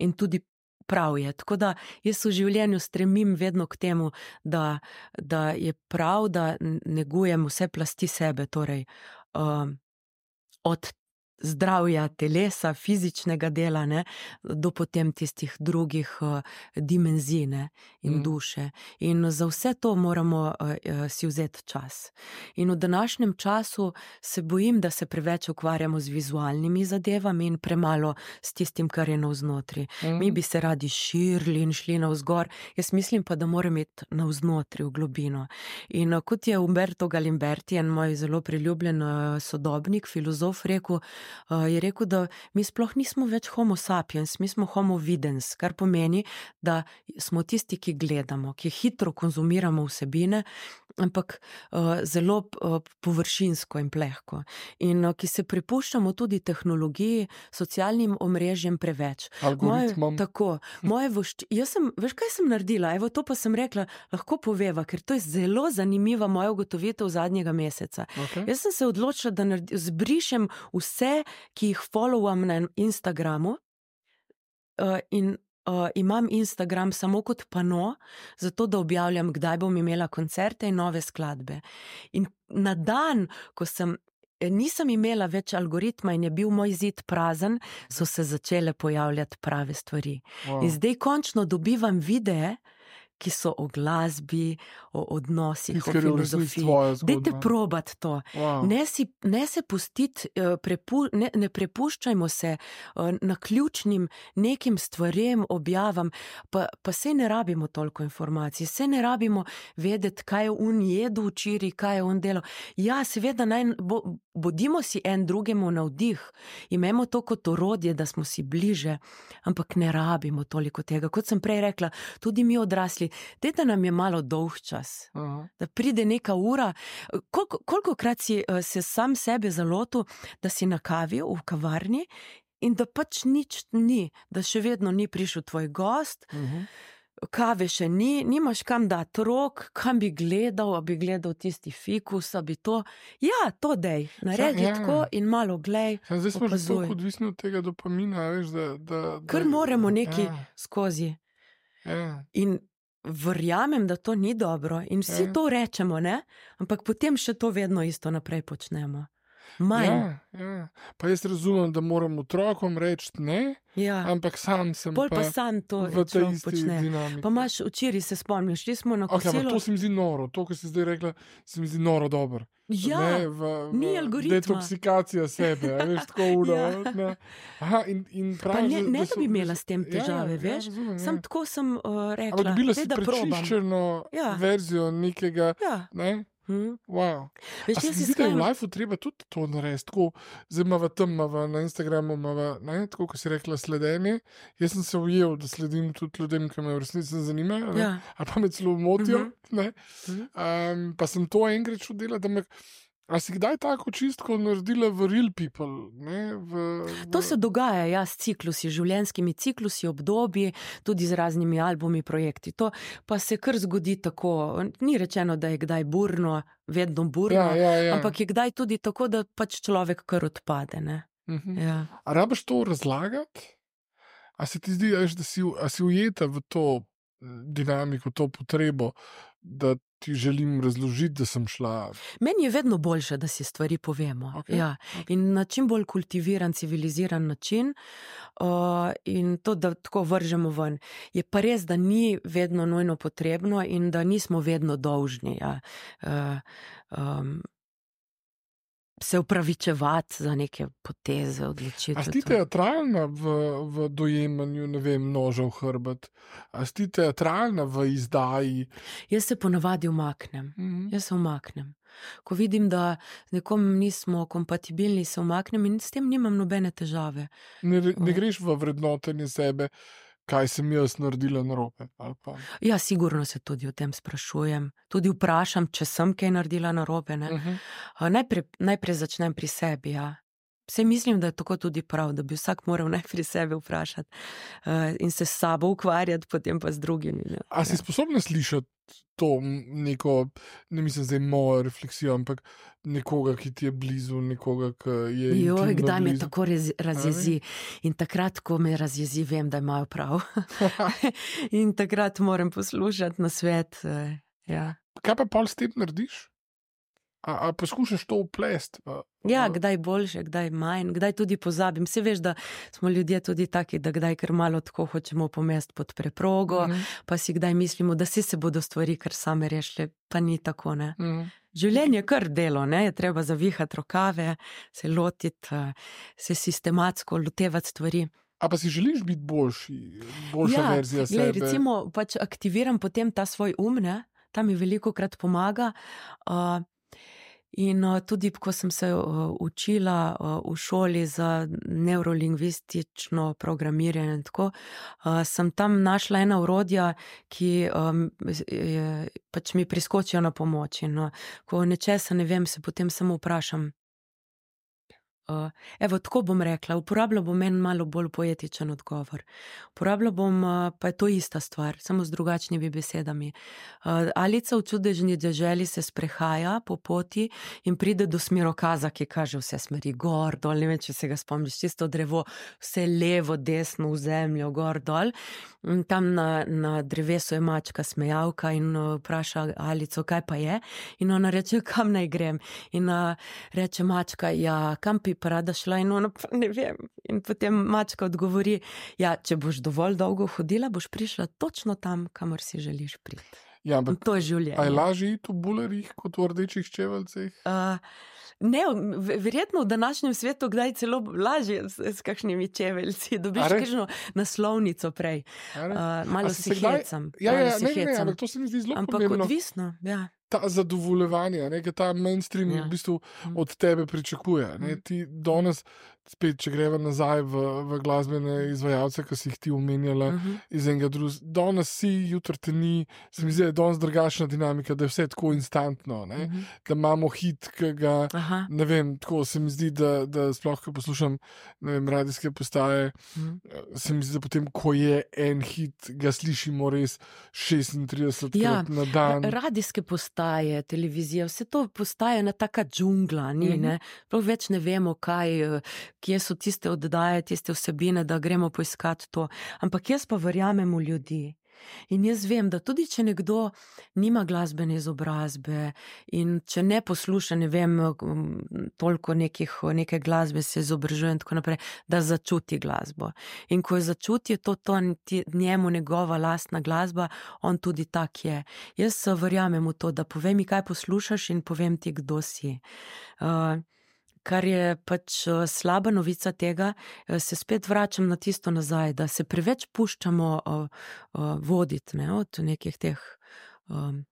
in tudi prav je. Tako da jaz v življenju stremim vedno k temu, da, da je prav, da negujem vse plasti sebe, torej um, od zdravja telesa, fizičnega dela, ne, do potem tistih drugih uh, dimenzij, ne, in mm. duše. In za vse to moramo uh, si vzeti čas. In v današnjem času se bojim, da se preveč ukvarjamo z vizualnimi zadevami in premalo s tistim, kar je navznotri. Mm. Mi bi se radi širili in šli navzgor, jaz mislim pa, da moram iti navznotri, v globino. In uh, kot je Umberto Galimberti, en moj zelo priljubljen uh, sodobnik, filozof, rekel, Uh, je rekel, da mi sploh nismo več homo sapiens, mi smo homo videns, kar pomeni, da smo tisti, ki gledamo, ki hitro konzumiramo vsebine, ampak uh, zelo uh, površinsko in plehko. In uh, ki se prepuščamo tudi tehnologiji, socialnim omrežjem preveč. Algoritmom. Moje, tako, moje vošč... Jaz sem, veš, kaj sem naredila? Evo, to pa sem rekla, lahko poveva, ker to je zelo zanimiva moja ugotovitev zadnjega meseca. Okay. Jaz sem se odločila, da naredi, zbrišem vse, ki jih followam na Instagramu uh, in Uh, imam Instagram samo kot pano, zato da objavljam, kdaj bom imela koncerte in nove skladbe. In na dan, ko sem, nisem imela več algoritma in je bil moj zid prazen, so se začele pojavljati prave stvari. Wow. In zdaj končno dobivam videe, ki so o glasbi, o odnosih, o filozofiji. Dajte probati to. Wow. Ne, si, ne se pustiti, prepu, ne, ne prepuščajmo se na ključnim nekim stvarem, objavam, pa, pa se ne rabimo toliko informacij, se ne rabimo vedeti, kaj je on jedel včeraj, kaj je on delal. Ja, seveda, naj, bo, bodimo si en drugemu navdih, imamo to kot orodje, da smo si bliže, ampak ne rabimo toliko tega. Kot sem prej rekla, tudi mi odrasli, dajte nam je malo dolg čas, uh-huh. da pride neka ura. Koliko, kolikokrat si uh, se sam sebe zalotil, da si na kavi v kavarni in da pač nič ni, da še vedno ni prišel tvoj gost, uh-huh. kave še ni, nimaš kam dati rok, kam bi gledal, a bi gledal tisti fikus, a bi to, ja, to dej, naredi ja, tako in malo glej, ja, zdaj smo že tako odvisni od tega dopamina, veš, da... da, da kar moramo neki ja. skozi. Ja. In verjamem, da to ni dobro in vsi ja. to rečemo, ne? Ampak potem še to vedno isto naprej počnemo. manj. Ja, ja. Pa jaz razumem, da moram otrokom reči ne, Ja. ampak sam sem Pol pa pa sam to v tej človek isti počne. dinamiki. Pa imaš včeraj, se spomniš, šli smo na Okay, ampak kosilo. to se mi zdi noro, to, kar si zdaj rekla, se mi zdi noro dobro. Ja, Ne, v, v ni algoritma. detoksikacija sebe, a veš, tako uro. Ja. Ne. Aha, in, in Pa praviš, ne, da- ne da da so- bi da imela so- s tem težave, ja, veš. Ja, razumem, Sam ja. tako sem uh, rekla, Ampak dobila daj, si da probam. prečiščeno Ja. verzijo nekega, Ja. ne? Hm. Wow. Veš, A se jaz ti si zdi, da je v skajam- lifeu treba tudi to narediti, tako, zdaj imava tam, imava na Instagramu, imava, ne, tako, kot si rekla, sledenje. Jaz sem se ujel, da sledim tudi ljudem, ki me v resnici ne zanimajo, ne, Ja. ali pa me celo motijo, Mhm. ne. Mhm. Um, pa sem to enkrat šel delati, da me, a si kdaj tako čistko naredila v real people, ne, v, v... To se dogaja, ja, s ciklusi, življenjskimi ciklusi, obdobji, tudi z raznimi albumi, projekti. To pa se kar zgodi tako. Ni rečeno, da je kdaj burno, vedno burno, Ja, ja, ja. ampak je kdaj tudi tako, da pač človek kar odpade. Ne? Mhm. Ja. A rabiš to razlagati? A se ti zdi, veš, da si, a si ujeta v to dinamiko, to potrebo, da ti želim razložiti, da sem šla. Meni je vedno boljše, da si stvari povemo. Okej, Ja. In na čim bolj kultiviran, civiliziran način, uh, in to, da tako vržemo ven. Je pa res, da ni vedno nujno potrebno in da nismo vedno dolžni. Ja. Uh, um, se upravičevati za neke poteze, odločitve. A si ti teatralna v, v dojemanju, ne vem, noža v hrbet? A si ti teatralna v izdaji? Jaz se ponavadi umaknem. Mhm. Jaz se umaknem. Ko vidim, da z nekom nismo kompatibilni, se umaknem in s tem nimam nobene težave. Ne, re- ne greš v vrednotenje sebe, kaj sem jaz naredila narobe? Ali pa... Ja, sigurno se tudi o tem sprašujem. Tudi vprašam, če sem kaj naredila narobe. Ne? Mhm. A Najprej, najprej začnem pri sebi. Ja. Vse mislim, da je tako tudi prav, da bi vsak moral najprej sebe vprašati uh, in se s sabo ukvarjati, potem pa z drugimi. Ne? A si sposobna slišati to m, neko, ne mislim zdaj mojo refleksijo, ampak nekoga, ki ti je blizu, nekoga, ki je Joj, intimno kdaj me blizu? tako rez, razjezi. In takrat, ko me razjezi, vem, da imajo prav. In takrat moram poslušati na svet. Uh, ja. Kaj pa pol s tem narediš? A, a poskušaš to uplesti? v- Ja, v- kdaj boljše, kdaj manj, kdaj tudi pozabim. Vse veš, da smo ljudje tudi taki, da kdaj kar malo tako hočemo pomesti pod preprogo, Mhm, pa si kdaj mislimo, da se se bodo stvari kar same rešile, pa ni tako, ne. mhm. Življenje je kar delo, ne, je treba zavihati rokave, se lotiti, eh, se sistematsko lotevati stvari. A pa si želiš biti boljši, boljša Ja, verzija glej, sebe? recimo, pač aktiviram potem ta svoj um, ne, ta mi veliko krat pomaga. Uh, in uh, tudi, ko sem se uh, učila uh, v šoli za neurolingvistično programiranje, in tako, uh, sem tam našla ena orodja, ki um, je, pač mi priskočijo na pomoč. In, uh, ko nečesa ne vem, se potem samo vprašam. Uh, evo, tako bom rekla, uporabljal bom en malo bolj poetičen odgovor. Uporabljal bom, uh, pa je to ista stvar, samo z drugačnimi besedami. Uh, Alica v čudežni deželi se sprehaja po poti in pride do smerokaza, ki kaže vse smeri, gor, dol, ne vem, če se ga spomniš, čisto drevo, vse levo, desno, v zemljo, gor, dol. In tam na, na drevesu je mačka smejavka in uh, vpraša Alico, kaj pa je. In ona reče, kam naj grem. In uh, reče mačka, ja, kam bi pa rada šla, in ona pa ne vem. In potem mačka odgovori, ja, če boš dovolj dolgo hodila, boš prišla točno tam, kamor si želiš priti. Ja, In ampak to je a je življenje. lažje iti v bulerjih kot v rdečih čeveljcih? Uh, ne, v- verjetno v današnjem svetu kdaj celo lažje s, s kakšnimi čeveljci, dobiš A res? kakšno naslovnico prej. A res? Uh, malo A si se se kdaj- hecam. Ja, malo ja, se ne, ne, ne, hecam. ampak to se mi zdi zelo Ampak pomembno. odvisno, ja. Ta zadovoljevanje, ne, ker ta mainstream Ja. v bistvu Mm. od tebe pričakuje. Ne. Mm. Ti danes, spet, če greva nazaj v, v glasbene izvajalce, ki si jih ti omenjala, Mhm. iz enega drugega, danes si, jutri te ni, se mi zdi, da je danes drugačna dinamika, da je vse tako instantno, ne. Mhm. Da imamo hit, ki ga, Aha. ne vem, tako se mi zdi, da, da sploh, ko poslušam, ne vem, radijske postaje, Mhm. se mi zdi, da potem, ko je en hit, ga slišimo res šestintridesetkrat Ja, na dan. Radijske postaje, televizija, vse to postaje ena taka džungla, ni, Mhm. ne? Prav več ne vemo, kaj, eh, kje so tiste oddaje, tiste vsebine, da gremo poiskati to. Ampak jaz pa verjamem v ljudi. In jaz vem, da tudi če nekdo nima glasbene izobrazbe in če ne posluša, ne vem, toliko nekih, neke glasbe se izobražuje in tako naprej, da začuti glasbo. In ko je začuti, je to, to njemu njegova lastna glasba, on tudi tak je. Jaz verjamem v to, da povej mi, kaj poslušaš in povem ti, kdo si. Uh, Kar je pač slaba novica tega, se spet vračam na tisto nazaj, da se preveč puščamo uh, uh, voditi, ne, od nekih teh... Um...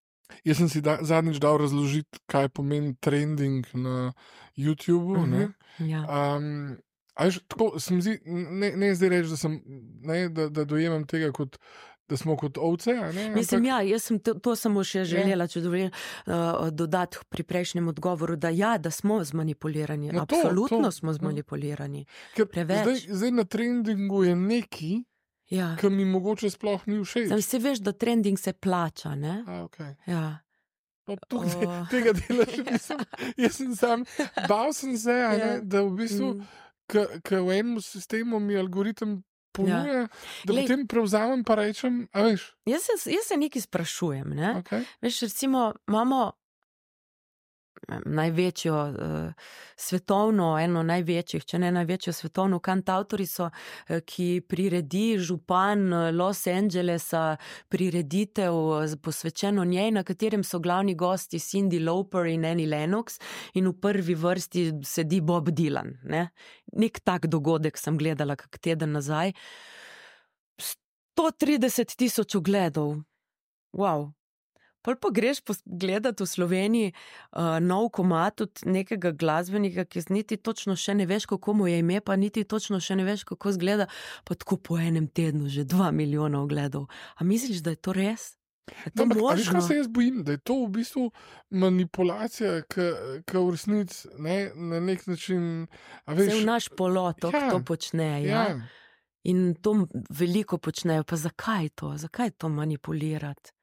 Jaz sem si da, zadnjič dal razložiti, kaj pomeni trending na YouTubu. Uh-huh. Ne? Ja. Um, a veš, tako, sem zi, ne, ne zdaj reči, da, sem, ne, da, da dojemam tega kot da smo kot ovce, a ne? Mislim, Ampak... ja, jaz sem to, to samo še želela, če dovolim, uh, dodati pri prejšnjem odgovoru, da ja, da smo zmanipulirani. No, to, absolutno to, smo zmanipulirani. Ker zdaj, zdaj na trendingu je neki, ja, ki mi mogoče sploh ni všeč. Sam se veš, da trending se plača, ne? A, okay. Ja. No, tukaj, oh. Tega dela še nisem. Jaz sem sam, bal sem se, a ne, ja, da v bistvu, mm. k v enem sistemu mi algoritem ponuja, ja, da Lej, potem prevzamem pa rečem, a veš? Jaz se, jaz se nekaj sprašujem, ne? Okay. Veš, recimo, imamo največjo uh, svetovno, eno največjih, če ne največjo svetovno kantavtorico, uh, ki priredi župan Los Angelesa prireditev posvečeno njej, na katerem so glavni gosti Cyndi Lauper in Annie Lennox in v prvi vrsti sedi Bob Dylan, ne? Nek tak dogodek sem gledala kak teden nazaj. sto trideset tisoč ogledov. Wow. Pol pa greš gledati v Sloveniji uh, nov komad od nekega glasbenika, ki niti točno še ne veš, kako mu je ime, pa niti točno še ne veš, kako zgleda, pa tako po enem tednu že dva milijona ogledov. A misliš, da je to res? Je to no, možno? A veš, kaj se jaz bojim? Da je to v bistvu manipulacija, ki v resnici ne, na nek način... A veš, se v naš polotok ja, to počne, ja? Ja. In to veliko počnejo. Pa zakaj to? Zakaj to manipulirati?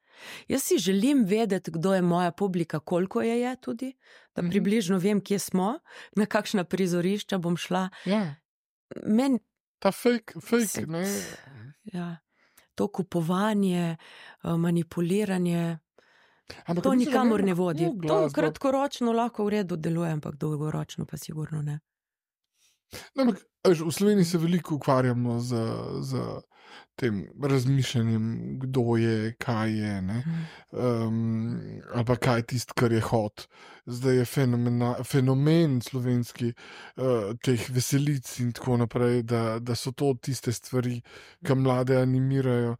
Jaz si želim vedeti, kdo je moja publika, koliko je je tudi, da mm-hmm. približno vem, kje smo, na kakšna prizorišča bom šla. Ja. Men... Ta fake, fake, ne... Ja. To kupovanje, manipuliranje, ampak to nikamor ne vodi. To kratkoročno lahko v redu deluje, ampak dolgoročno pa sigurno ne. No, ampak, v Sloveniji se veliko ukvarjamo z, z tem razmišljanjem, kdo je, kaj je, ne? Um, ali pa kaj je tisto, kar je hot. Zdaj je fenomena, fenomen slovenski uh, teh veselic in tako naprej, da, da so to tiste stvari, ki mlade animirajo.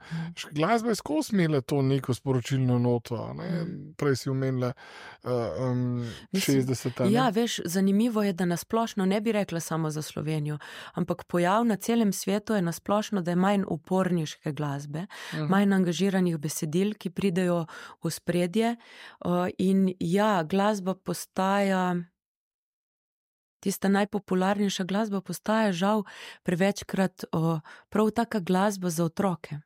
Glasba je skozi imela to neko sporočilno noto, ne? Prej si omenila uh, um, šestdeseta. Ja, veš, zanimivo je, da nasplošno ne bi rekla samo za Slovenijo, ampak pojav na celem svetu je nasplošno, da je manj uporniške glasbe, uh-huh. manj angažiranih besedil, ki pridejo v spredje. Uh, in ja, glasba postaja, tista najpopularnejša glasba postaja žal prevečkrat uh, prav taka glasba za otroke.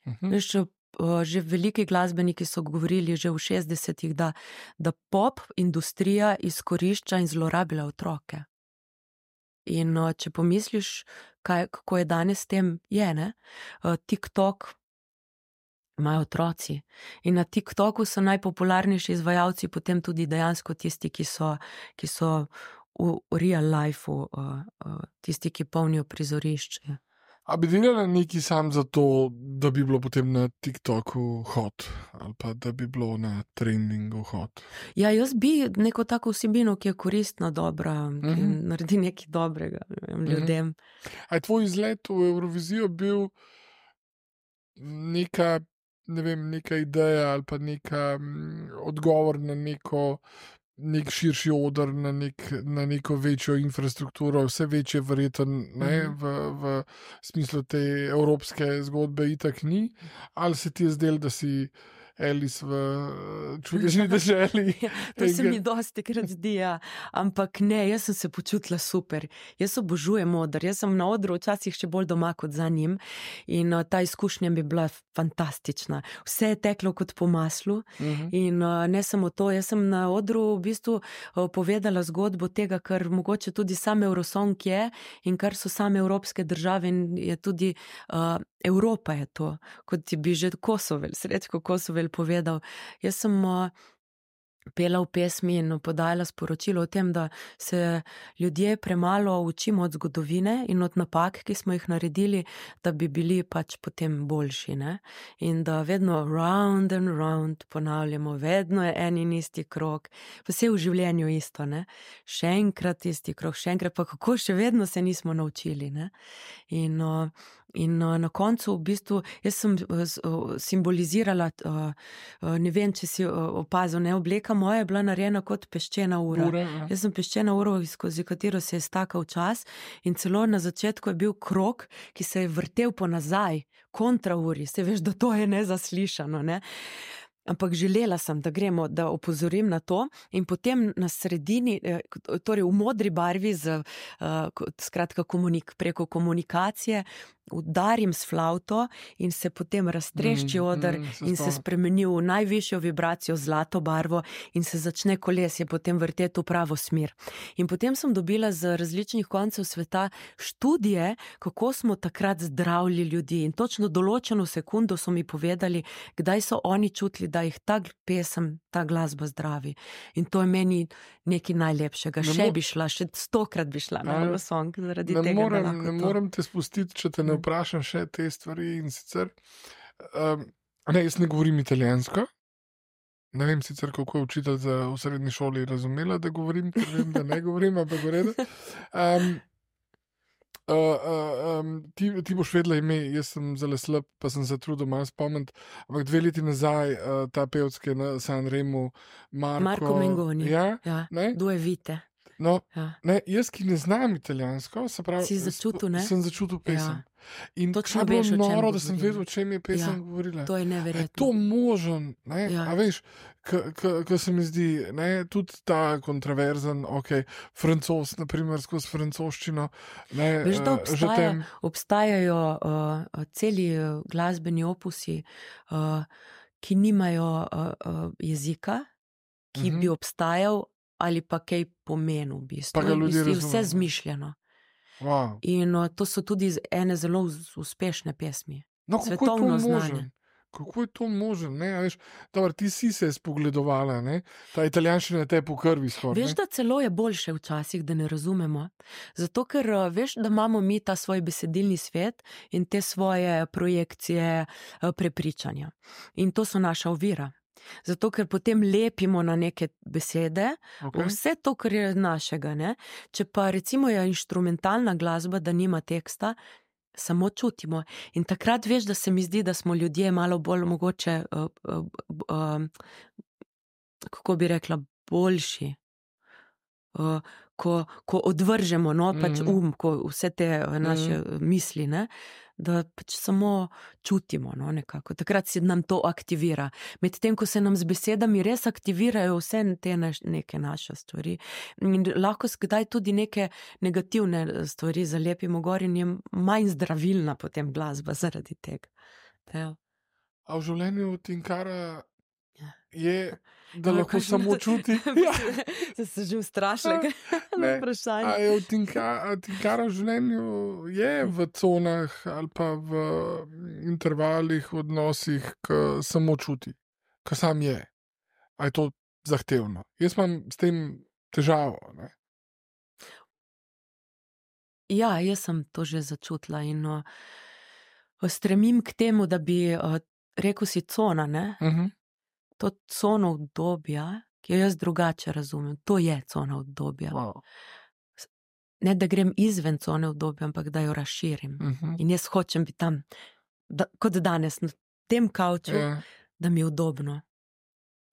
Uh-huh. Veš, uh, že veliki glasbeniki so govorili že v šestdesetih, da, da pop industrija izkorišča in zlorablja otroke. In uh, če pomisliš, kaj, kako je danes s tem, je, ne? Uh, TikTok imajo otroci in na TikToku so najpopularnejši izvajalci potem tudi dejansko tisti, ki so, ki so v, v real lifeu, uh, uh, tisti, ki polnijo prizorišče. A bi delala nekaj sam za to, da bi bilo potem na TikToku hot ali pa da bi bilo na trendingu hot? Ja, jaz bi neko tako vsebino, ki je koristna, dobra, ki uh-huh. naredi nekaj dobrega ljudem. Uh-huh. A je tvoj izlet v Eurovizijo bil neka, ne vem, neka ideja ali pa neka m, odgovor na neko nek širši odr, na, nek, na neko večjo infrastrukturo, vse večje verjetno ne, mm. v, v smislu te evropske zgodbe itak ni, ali se ti je zdelo, da si Alice v čudežni deželi. To se mi dosti krat zdi, ja. Ampak ne, jaz sem se počutila super. Jaz obožujem oder, jaz sem na odru včasih še bolj doma kot za njim in uh, ta izkušnja bi bila fantastična. Vse je teklo kot po maslu uh-huh. in uh, ne samo to, jaz sem na odru v bistvu uh, povedala zgodbo tega, kar mogoče tudi sam Eurosong je in kar so same evropske države in je tudi uh, Evropa je to, kot bi že Kosovel, Srečko Kosovel povedal. Jaz sem uh, pela v pesmi in podajala sporočilo o tem, da se ljudje premalo učimo od zgodovine in od napak, ki smo jih naredili, da bi bili pač potem boljši, ne? In da vedno round and round ponavljamo, vedno je en in isti krog, pa vse v življenju isto, ne? Še enkrat isti krog, še enkrat, pa kako še vedno se nismo naučili, ne? In uh, In uh, na koncu v bistvu, jaz sem uh, simbolizirala, uh, uh, ne vem, če si uh, opazil, ne, obleka moja je bila narejena kot peščena ura. Ura, ja. Jaz sem peščena ura, skozi katero se je stakal čas in celo na začetku je bil krog, ki se je vrtel po nazaj, kontra uri, se veš, da to je nezaslišano, ne. Ampak želela sem, da gremo, da opozorim na to in potem na sredini, torej v modri barvi z, uh, skratka komunik, preko komunikacije udarim s flavto in se potem raztrešči oder mm, mm, in se spremeni v najvišjo vibracijo, zlato barvo in se začne kolesje potem vrteti v pravo smer. In potem sem dobila z različnih koncev sveta študije, kako smo takrat zdravili ljudi in točno določeno sekundo so mi povedali, kdaj so oni čutili, da jih ta pesem, ta glasba zdravi. In to je meni nekaj najlepšega. Ne še bi šla, še stokrat bi šla na Eurosong zaradi ne tega. Morem, ne to. morem te spustiti, če te ne vprašam še te stvari in sicer, um, ne, jaz ne govorim italijansko, ne vem sicer, kako je učitelj za v srednji šoli razumela, da govorim, ker vem, da ne govorim, ampak v redu. Um, uh, uh, um, ti, ti boš vedela ime, jaz sem zelo slab, pa sem se trudil malo spomniti, ampak dve leti nazaj uh, ta pevski na San Remu, Marko, Marko Mengoni, ja, ja. Due vite. No, ja. ne, jaz, ki ne znam italijansko, se pravi, si začutil, ne? sem začutil pesem. Ja. In točno kaj veš, bilo noro, o čem da sem vedel, o čem je pesem ja, govorila. To je neverjetno. Je to možen, ne? Ja. A veš, ko se mi zdi, ne, tudi ta kontroverzen, ok, Francoz, naprimer, skozi francoščino, ne, veš, da obstaja, tem... obstajajo uh, celi glasbeni opusi, uh, ki nimajo uh, uh, jezika, ki uh-huh. bi obstajal ali pa kaj pomenil v bistvu. Pa ga ljudje razumejo. Vse zmišljeno. Wow. In uh, to so tudi ene zelo uspešne pesmi. No, kako je to možen? Kako je to možen? Ne? Veš, dobar, ti si se spogledovala, ne? Ta italijanščina te po krvi skoraj. Veš, da celo je boljše včasih, da ne razumemo. Zato, ker veš, da imamo mi ta svoj besedilni svet in te svoje projekcije, prepričanja. In to so naša ovira. Zato, ker potem lepimo na neke besede, okay. Vse to, kar je našega, ne? Če pa recimo je inštrumentalna glasba, da nima teksta, samo čutimo. In takrat veš, da se mi zdi, da smo ljudje malo bolj mogoče, uh, uh, uh, kako bi rekla, boljši. Uh, ko, ko odvržemo, no, pač mm. um, ko vse te naše mm. misli, ne, da pač samo čutimo, no, nekako. Takrat se nam to aktivira. Medtem, ko se nam z besedami res aktivirajo vse te naš, neke naše stvari. In lahko skdaj tudi neke negativne stvari zalepimo gor in je manj zdravilna potem glasba zaradi tega. Ja. A v življenju Tinkara je, da no, lahko samo čuti. Ja. Se že ustrašila na vprašanje. A je v Tinkara, Tinkara v življenju je v conah ali pa v intervalih, v odnosih, ki samo čuti, ki sam je. A je to zahtevno? Jaz imam s tem težavo, ne? Ja, jaz sem to že začutila in uh, stremim k temu, da bi uh, rekel si cona, ne? Uh-huh. To cono obdobja, ki jo jaz drugače razumem, to je cona obdobja. Wow. Ne, da grem izven cone obdobja, ampak da jo razširim. Uh-huh. In jaz hočem biti tam, da, kot danes, na tem kavču, yeah. Da mi je udobno.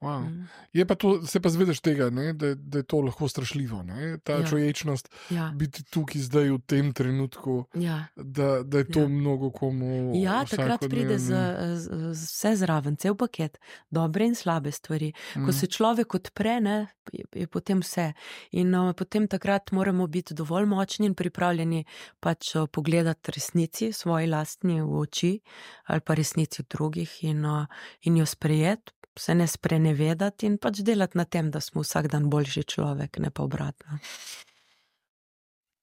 Wow. Mm. Je pa to, se pa zvedeš tega, ne, da, da je to lahko strašljivo. Ne? Ta Ja. čuječnost, Ja. biti tukaj zdaj v tem trenutku, Ja. da, da je to Ja. mnogo komu. Ja, takrat pride z, vsakodnevni- z, z vse zraven, cel paket, dobre in slabe stvari. Ko Mhm. se človek odpre, ne, je, je potem vse. In uh, potem takrat moramo biti dovolj močni in pripravljeni pač uh, pogledati resnici, svoji lastni v oči ali pa resnici drugih in, uh, in jo sprejeti, se ne sprenevedati in pač delati na tem, da smo vsak dan boljši človek, ne pa obratno.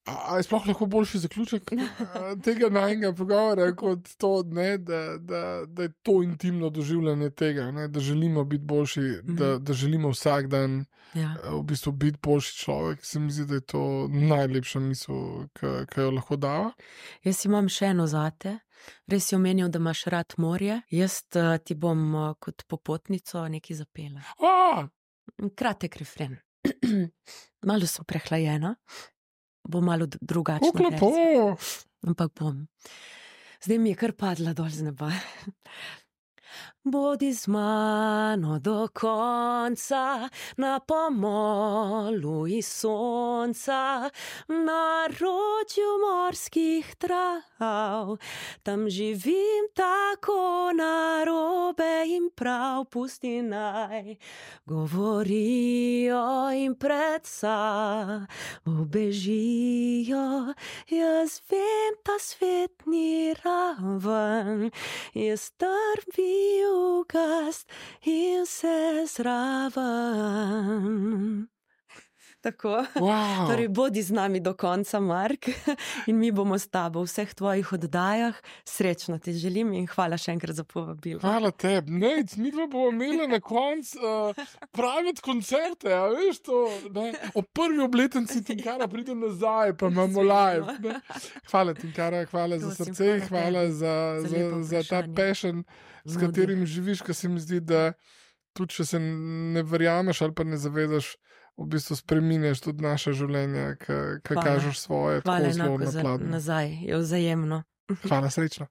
A, a je sploh lahko boljši zaključek a, tega najnega pogovora, kot to, ne, da, da, da je to intimno doživljanje tega, ne, da želimo biti boljši, Mhm. da, da želimo vsak dan Ja. a, v bistvu biti boljši človek. Se mi zdi, da je to najlepša misel, ki ki jo lahko dava. Jaz imam še eno zate. Res si omenil, da imaš rad morje. Jaz uh, ti bom uh, kot popotnico nekaj zapela. A, Kratek refren. Malo sem prehlajena, bo malo d- drugačna kako lepo. verzija, ampak bom. Zdaj mi je kar padla dol z neba. Bodi z mano do konca, na pomolu iz sonca, na ročju morskih trav. Tam živim tako narobe in prav, pusti naj govorijo in predsa ubežijo. Jaz vem, ta svet ni raven, jaz trvi ugast in vse zraven. Tako. Wow. Torej, bodi z nami do konca, Mark, in mi bomo s tabo v vseh tvojih oddajah. Srečno ti želim in hvala še enkrat za povabilo. Hvala tebi. Ne, mi dva bomo imeli na koncu uh, private koncerte, a veš to, ne? Ob prvi obletnici Tinkara pride nazaj, pa imamo live. Ne? Hvala Tinkara, hvala za Prosim, srce, hvala hvala tebi za, za za, lepo za ta vprašanje. passion, s Nudi. katerim živiš, ker se mi zdi, da tudi če se ne verjameš ali pa ne zavedaš, v bistvu spreminjaš tudi naše življenje, ki Hvala. kažeš svoje, Hvala tako zelo enako na za pladnju. nazaj, je vzajemno. Hvala, srečno.